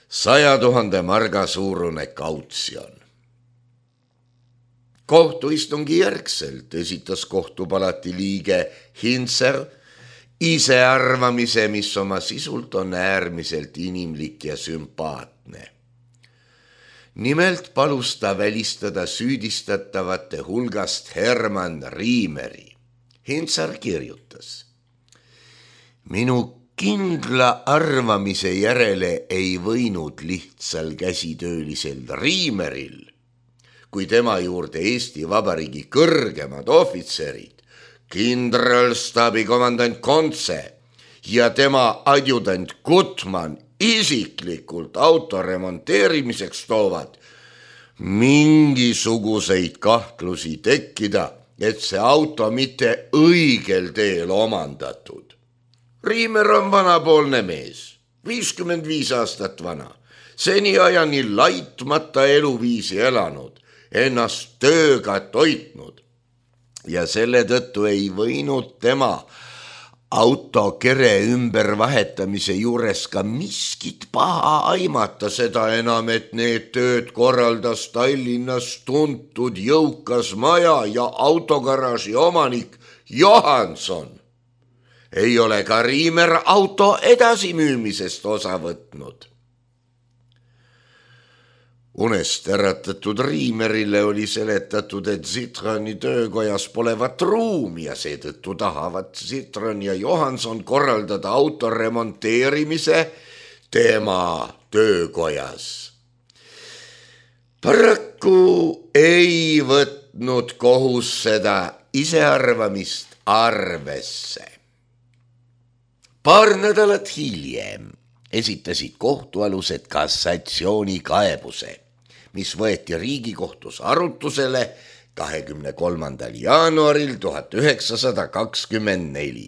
100 000 marga suurune kautsjon. Kohtuistungi järgselt esitas kohtupalati liige Hintzer isearvamise, mis oma sisult on äärmiselt inimlik ja sümpaatne. Nimelt palus ta välistada süüdistatavate hulgast Hermann Riimeri. Hintzer kirjutas: minu kindla arvamise järele ei võinud lihtsal käsitöölisel Riimeril, kui tema juurde Eesti Vabariigi kõrgemad ohvitserid, kindralstaabi komandant Kontse ja tema adjutant Gutmann isiklikult auto remonteerimiseks toovad, mingisuguseid kahtlusi tekkida, et see auto mitte õigel teel omandatud. Riimer on vanapoolne mees, 55 aastat vana, seniajani laitmata eluviisi elanud, ennast tööga toitnud ja selle tõttu ei võinud tema autokere ümbervahetamise juures ka miskit paha aimata, seda enam, et need tööd korraldas Tallinnas tuntud jõukas maja ja autogaraaži omanik Johanson. Ei ole ka Riimer auto edasimüümisest osa võtnud. Unest äratatud Riimerile oli seletatud, et Citroni töökojas polevat ruumi ja seetõttu tahavad Citron ja Johanson korraldada auto remonteerimise tema töökojas. Paraku ei võtnud kohus seda isearvamist arvesse. Paar nädalat hiljem esitasid kohtualused kassatsioonikaebuse, mis võeti Riigikohtus arutusele 23. jaanuaril 1924.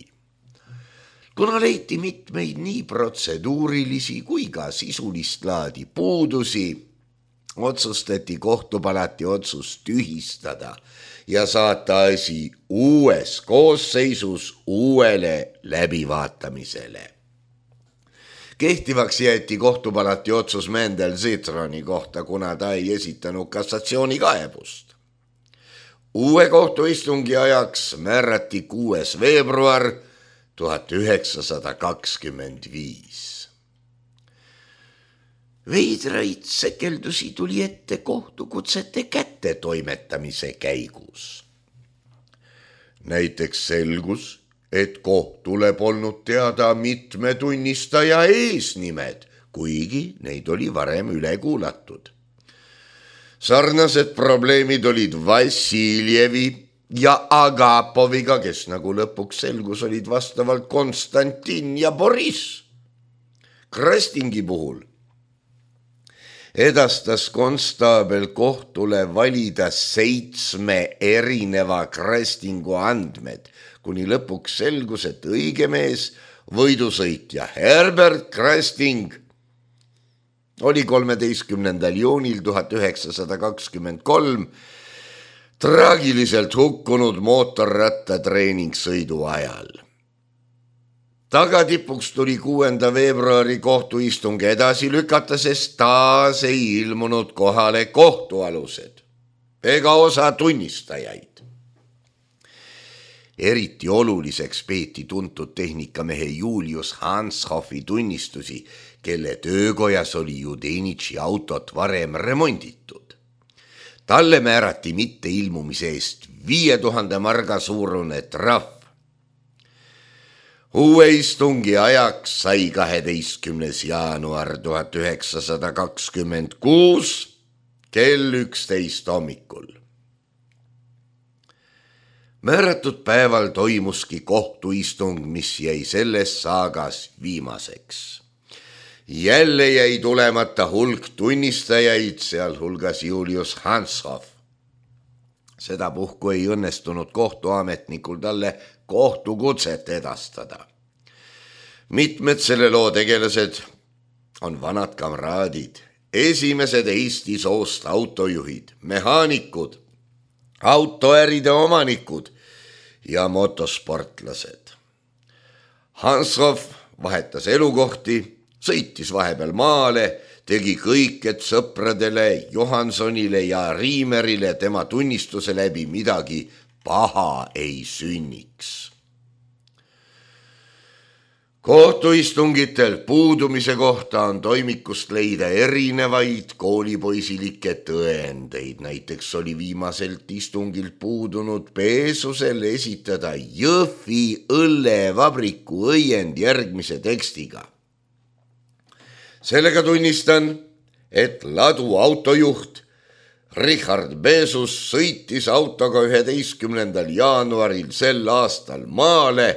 kuna leiti mitmeid nii protseduurilisi kui ka sisulist laadi puudusi, otsustati kohtupalati otsus tühistada ja saata asi uues koosseisus uuele läbivaatamisele. Kehtivaks jäeti kohtupalati otsus Mendel Zitroni kohta, kuna ta ei esitanud kassatsioonikaebust. Uue kohtuistungi ajaks määrati 6. veebruar 1925. Veidraid sekeldusi tuli ette kohtukutsete kättetoimetamise käigus. Näiteks selgus, et kohtule polnud teada mitme tunnistaja eesnimed, kuigi neid oli varem üle kuulatud. Sarnased probleemid olid Vassiljevi ja Agapoviga, kes nagu lõpuks selgus olid vastavalt Konstantin ja Boris. Krastingi puhul edastas konstaabel kohtule valida 7 erineva Krastingu andmed, kuni lõpuks selgus, et õige mees, võidusõitja Herbert Krasting oli 13. juunil 1923 traagiliselt hukkunud mootorrattatreeningsõidu ajal. Tagatipuks tuli 6. veebruari kohtuistung edasi lükata, sest taas ei ilmunud kohale kohtualused ega osa tunnistajaid. Eriti oluliseks peeti tuntud tehnikamehe Julius Hanshoffi tunnistusi, kelle töökojas oli Judenitši autot varem remonditud. Talle määrati mitte ilmumise eest 5000 marga suurune trahv. Uue istungi ajaks sai 12. jaanuar 1926 kell 11 hommikul. Määratud päeval toimuski kohtuistung, mis jäi selles saagas viimaseks. Jälle jäi tulemata hulk tunnistajaid, sealhulgas Julius Hanshoff. Sedapuhku ei õnnestunud kohtuametnikul talle kohtukutset edastada. Mitmed selle loo tegelased on vanad kamraadid, esimesed Eesti soost autojuhid, mehaanikud, autoäride omanikud ja motosportlased. Hanshoff vahetas elukohti, sõitis vahepeal maale, tegi kõik, et sõpradele Johansonile ja Riimerile tema tunnistuse läbi midagi paha ei sünniks. Kohtuistungitel puudumise kohta on toimikust leida erinevaid koolipoisilikke tõendeid. Näiteks oli viimaselt istungilt puudunud Peesusel esitada Jõhvi õllevabriku õiend järgmise tekstiga. Sellega tunnistan, et ladu autojuht Richard Peesus sõitis autoga 11. jaanuaril sel aastal maale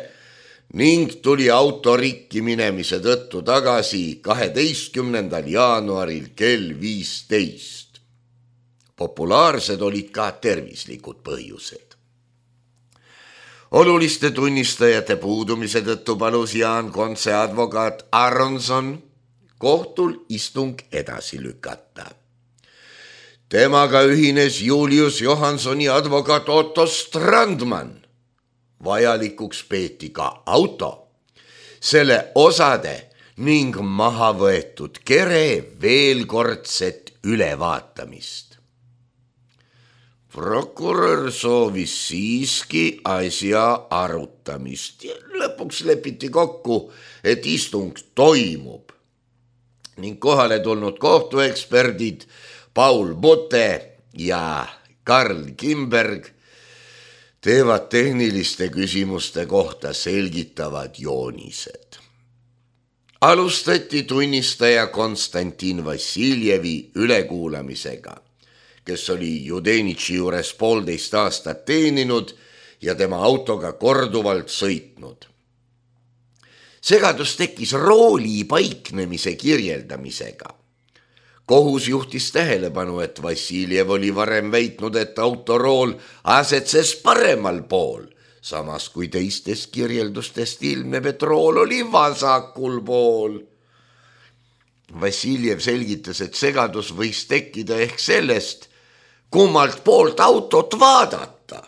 ning tuli auto rikki minemise tõttu tagasi 12. jaanuaril kell 15. Populaarsed olid ka tervislikud põhjused. Oluliste tunnistajate puudumise tõttu palus Jaan Kontse advokaat Aronson kohtul istung edasi lükata. Temaga ühines Julius Johansoni advokaat Otto Strandman. Vajalikuks peeti ka auto, selle osade ning maha võetud kere veelkordset ülevaatamist. Prokurör soovis siiski asja arutamist ja lõpuks lepiti kokku, et istung toimub ning kohale tulnud kohtueksperdid Paul Butte ja Karl Kimberg teevad tehniliste küsimuste kohta selgitavad joonised. Alustati tunnistaja Konstantin Vassiljevi ülekuulamisega, kes oli Judenitši juures 1,5 aastat teeninud ja tema autoga korduvalt sõitnud. Segadus tekkis rooli paiknemise kirjeldamisega. Kohus juhtis tähelepanu, et Vassiljev oli varem väitnud, et autorool asetses paremal pool, samas kui teistest kirjeldustest ilmneb, et rool oli vasakul pool. Vassiljev selgitas, et segadus võis tekkida ehk sellest, kummalt poolt autot vaadata.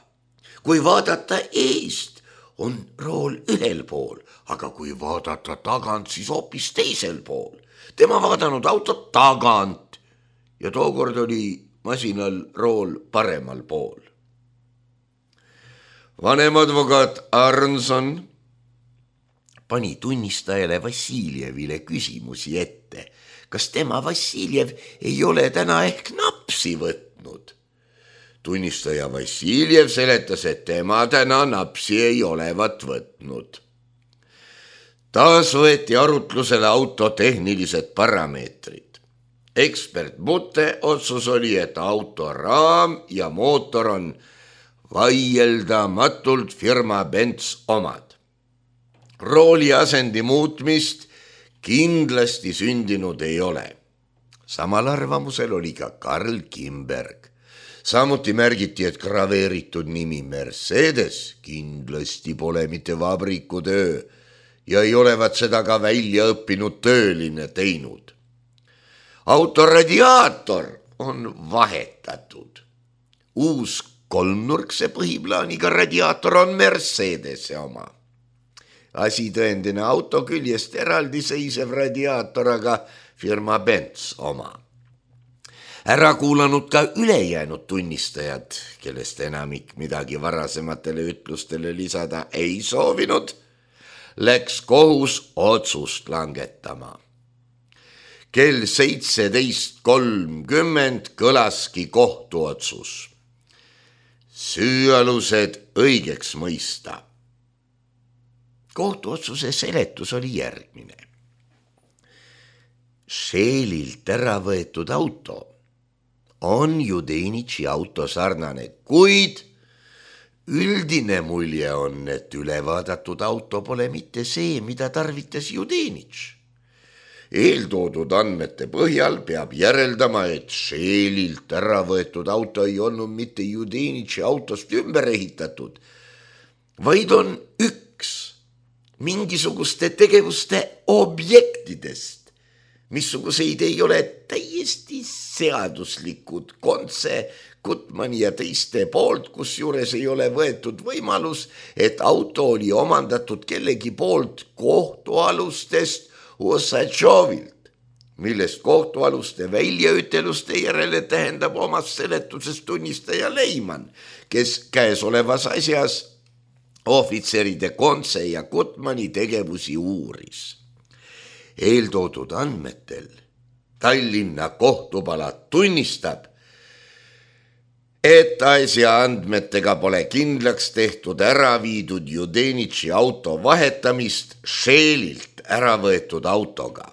Kui vaadata eest, on rool ühel pool, aga kui vaadata tagant, siis hoopis teisel pool. Tema vaadanud autot tagant ja tookord oli masinal rool paremal pool. Vanem advokaat Arnson pani tunnistajale Vassiljevile küsimusi ette, kas tema Vassiljev ei ole täna ehk napsi võtnud. Tunnistaja Vassiljev seletas, et tema täna napsi ei olevat võtnud. Taas võeti arutlusele auto tehnilised parameetrid. Ekspert Butte otsus oli, et auto raam ja mootor on vaieldamatult firma Benz omad. Rooli asendi muutmist kindlasti sündinud ei ole. Samal arvamusel oli ka Karl Kimberg. Samuti märgiti, et graveeritud nimi Mercedes kindlasti pole mitte vabrikutöö ja ei olevat seda ka välja õppinud tööline teinud. Auto radiaator on vahetatud. Uus kolmnurkse põhiplaaniga radiaator on Mercedese oma. Asitõendine auto küljest eraldiseisev radiaator, aga firma Benz oma. Ära kuulanud ka ülejäänud tunnistajad, kellest enamik midagi varasematele ütlustele lisada ei soovinud, läks kohus otsust langetama. Kell 17:30 kõlaski kohtuotsus. Süüalused õigeks mõista. Kohtuotsuse seletus oli järgmine. Šelilt ära võetud auto on Judenitši auto sarnane, kuid üldine mulje on, et ülevaadatud auto pole mitte see, mida tarvitas Judenitš. Eeltoodud andmete põhjal peab järeldama, et Šelilt ära võetud auto ei olnud mitte Judenitši autost ümber ehitatud, vaid on üks mingisuguste tegevuste objektidest, missuguseid ei ole täiesti seaduslikud Kontse, Gutmani ja teiste poolt, kus juures ei ole võetud võimalus, et auto oli omandatud kellegi poolt kohtualustest Osatšovilt, millest kohtualuste väljaüteluste järele tähendab omas seletuses tunnistaja Leiman, kes käesolevas asjas ohvitseride Kontse ja Gutmani tegevusi uuris. Eeltoodud andmetel Tallinna kohtupalat tunnistab, et asja andmetega pole kindlaks tehtud ära viidud Judenitši auto vahetamist Šelilt ära võetud autoga.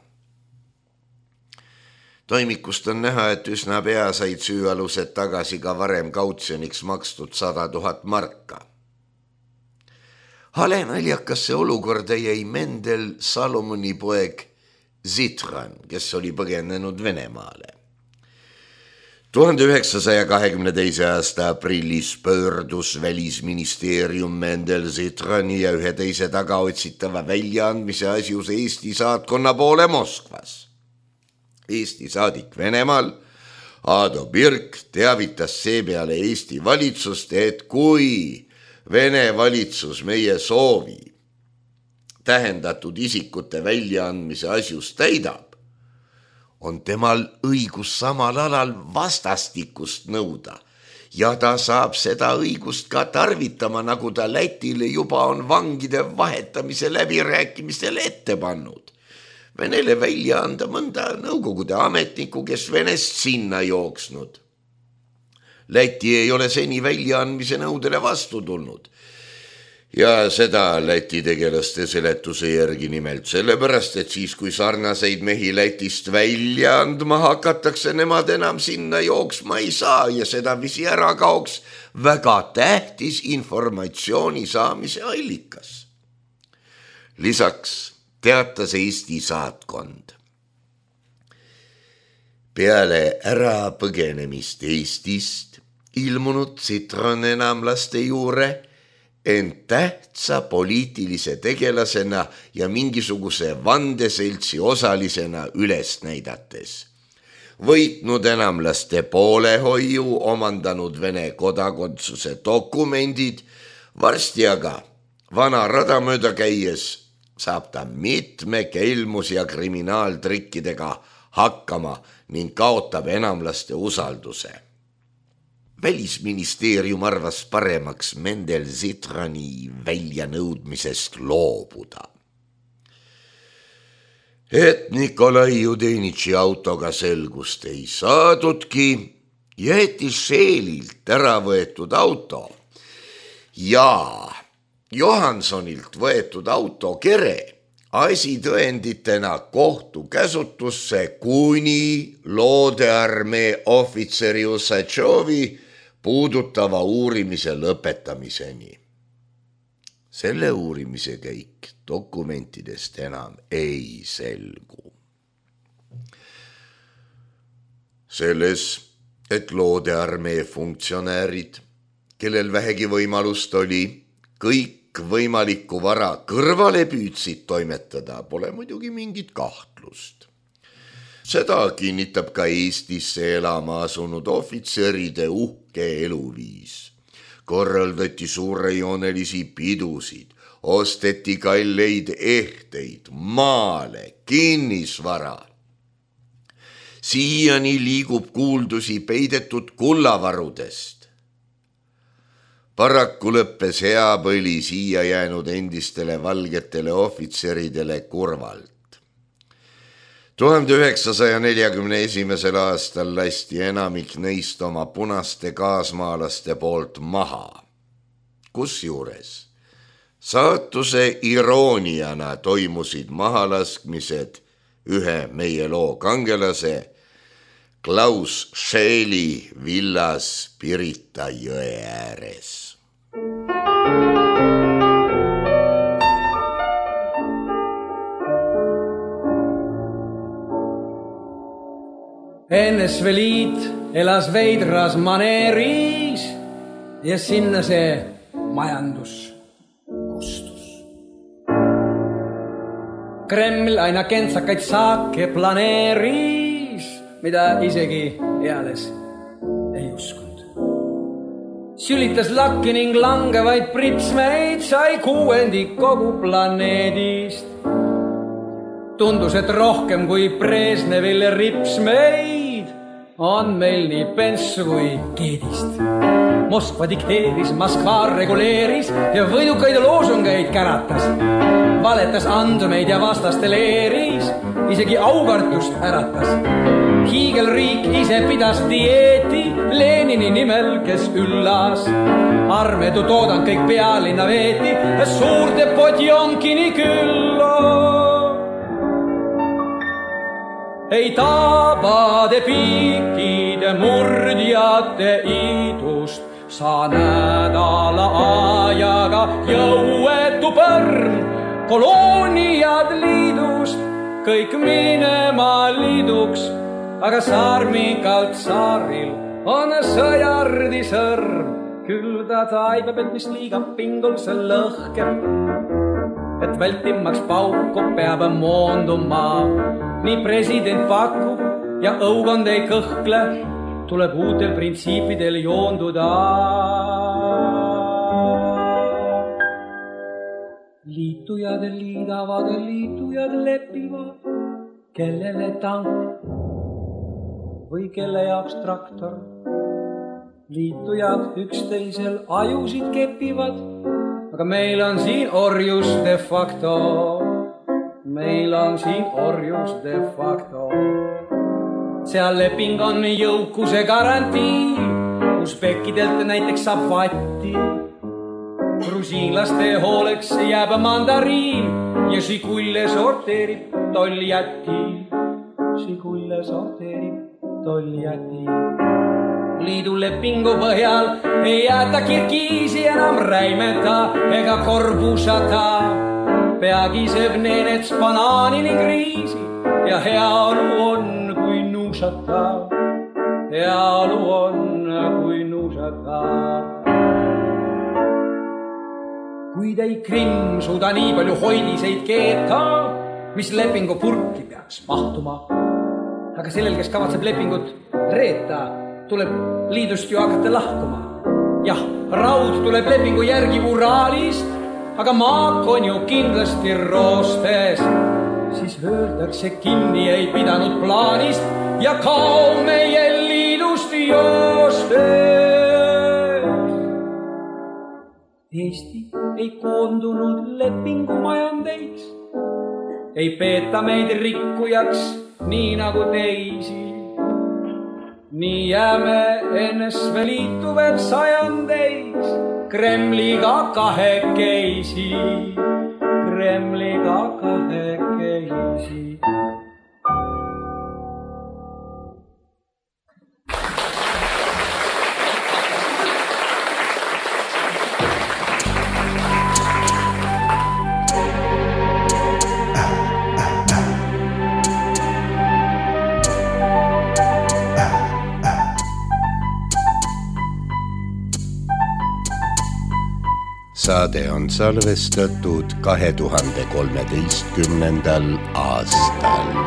Toimikust on näha, et üsna pea said süüalused tagasi ka varem kautsjoniks makstud 100 000 marka. Hale naljakasse olukorda jäi Mendel Salomoni poeg Zitran, kes oli põgenenud Venemaale. 1922. aasta aprillis pöördus Välisministeerium Mendel Zitrani ja ühe teise tagaotsitava väljaandmise asjus Eesti saatkonna poole Moskvas. Eesti saadik Venemaal Aado Birk teavitas seepeale Eesti valitsust, et kui Vene valitsus meie soovi tähendatud isikute väljaandmise asjus täidab, on temal õigus samal alal vastastikust nõuda ja ta saab seda õigust ka tarvitama, nagu ta Lätile juba on vangide vahetamise läbirääkimistel ette pannud. Venele välja anda mõnda Nõukogude ametniku, kes Venest sinna jooksnud. Läti ei ole seni väljaandmise nõudele vastu tulnud. Ja seda Läti tegelaste seletuse järgi nimelt sellepärast, et siis kui sarnaseid mehi Lätist välja andma hakatakse, nemad enam sinna jooksma ei saa ja sedavisi ära kaoks väga tähtis informatsiooni saamise allikas. Lisaks teatas Eesti saatkond. Peale ära põgenemist Eestist ilmunud Zitran enamlaste juure ent tähtsa poliitilise tegelasena ja mingisuguse vandeseltsi osalisena üles näidates. Võitnud enamlaste poolehoiu, omandanud Vene kodakondsuse dokumendid, varsti aga vana rada mööda käies saab ta mitme kelmus- ja kriminaaltrikkidega hakkama ning kaotab enamlaste usalduse. Välisministeerium arvas paremaks Mendel Zitrani väljanõudmisest loobuda. Et Nikolai Judenitši autoga selgust ei saadudki, jäeti Scheelilt ära võetud auto ja Johansonilt võetud auto kere asitõenditena kohtu käsutusse kuni loodearmee ohvitseri Usatšovi puudutava uurimise lõpetamiseni. Selle uurimise käik dokumentidest enam ei selgu. Selles, et loodearmee funktsionäärid, kellel vähegi võimalust oli, kõik võimalikku vara kõrvale püüdsid toimetada, pole muidugi mingit kahtlust. Seda kinnitab ka Eestisse elama asunud ohvitseride uhke eluviis. Korraldati suurejoonelisi pidusid, osteti kalleid ehteid, maale, kinnisvara. Siiani liigub kuuldusi peidetud kullavarudest. Paraku lõppes hea põli siia jäänud endistele valgetele ohvitseridele kurvalt. 1941. aastal lasti enamik neist oma punaste kaasmaalaste poolt maha. Kusjuures saatuse irooniana toimusid mahalaskmised ühe meie loo kangelase Klaus Scheeli villas Pirita jõe ääres. NSV Liit elas veidras maneeris ja sinna see majandus kustus. Kreml aina kentsakaid saake planeeris, mida isegi eales ei uskunud. Sülitas lakki ning langevaid pritsmeid sai 6% kogu planeedist. Tundus, et rohkem kui Brežnevil ripsmeid on meil nii penssu kui keedist. Moskva dikteeris, Moskva reguleeris ja võidukaid loosungeid käratas. Valetas andmeid ja vastasteleeris, isegi aukartust äratas. Hiigelriik ise pidas dieeti Lenini nimel, kes üllas. Armedu toodang kõik pealinna veeti suurde Podjomkini külla. Ei tabade piikide murdjate idust sa nädala ajaga jõuetu põrm. Kolooniad liidust kõik minema liiduks, aga saarmikalt saaril on sõjardi sõrm. Küll ta taibab, et mis liiga pingul see lõhkeb, et vältimaks pauku peab moonduma. Nii president pakub ja õugond ei kõhkle, tuleb uutel printsiipidel joonduda. Liitujad liidavad, liitujad lepivad, kellele tank või kelle jaoks traktor. Liitujad üksteisel ajusid kepivad, aga meil on siin orjus de facto. Meil on siin orjus de facto. Seal leping on jõukuse garantii, usbekidelt näiteks saab vatti. Grusiinlaste hooleks jääb mandariin ja Žigulle sorteerib tolljäti. Žigulle sorteerib tolljäti. Liidu lepingu põhjal ei jäta Kirgiisi enam räimeta ega korbusata. Peagi sööb neenets banaani ning riisi ja heaolu on kui nuusata. Heaolu on kui nuusata. kuid ei Krimm suuda nii palju hoidiseid keeta, mis lepingu purki peaks mahtuma. Aga sellel, kes kavatseb lepingut reeta, tuleb liidust ju hakata lahkuma. Jah, raud tuleb lepingu järgi Uraalist, aga maak on ju kindlasti roostes. Siis öeldakse kinni ei pidanud plaanist ja kao meie liidust joostes. Eesti ei koondunud lepingumajandeis, ei peeta meid rikkujaks nii nagu teisi. Nii jääme NSV Liitu veel sajandeis Kremliga kahekesi, Kremliga kahekesi. Saade on salvestatud 2013. aastal.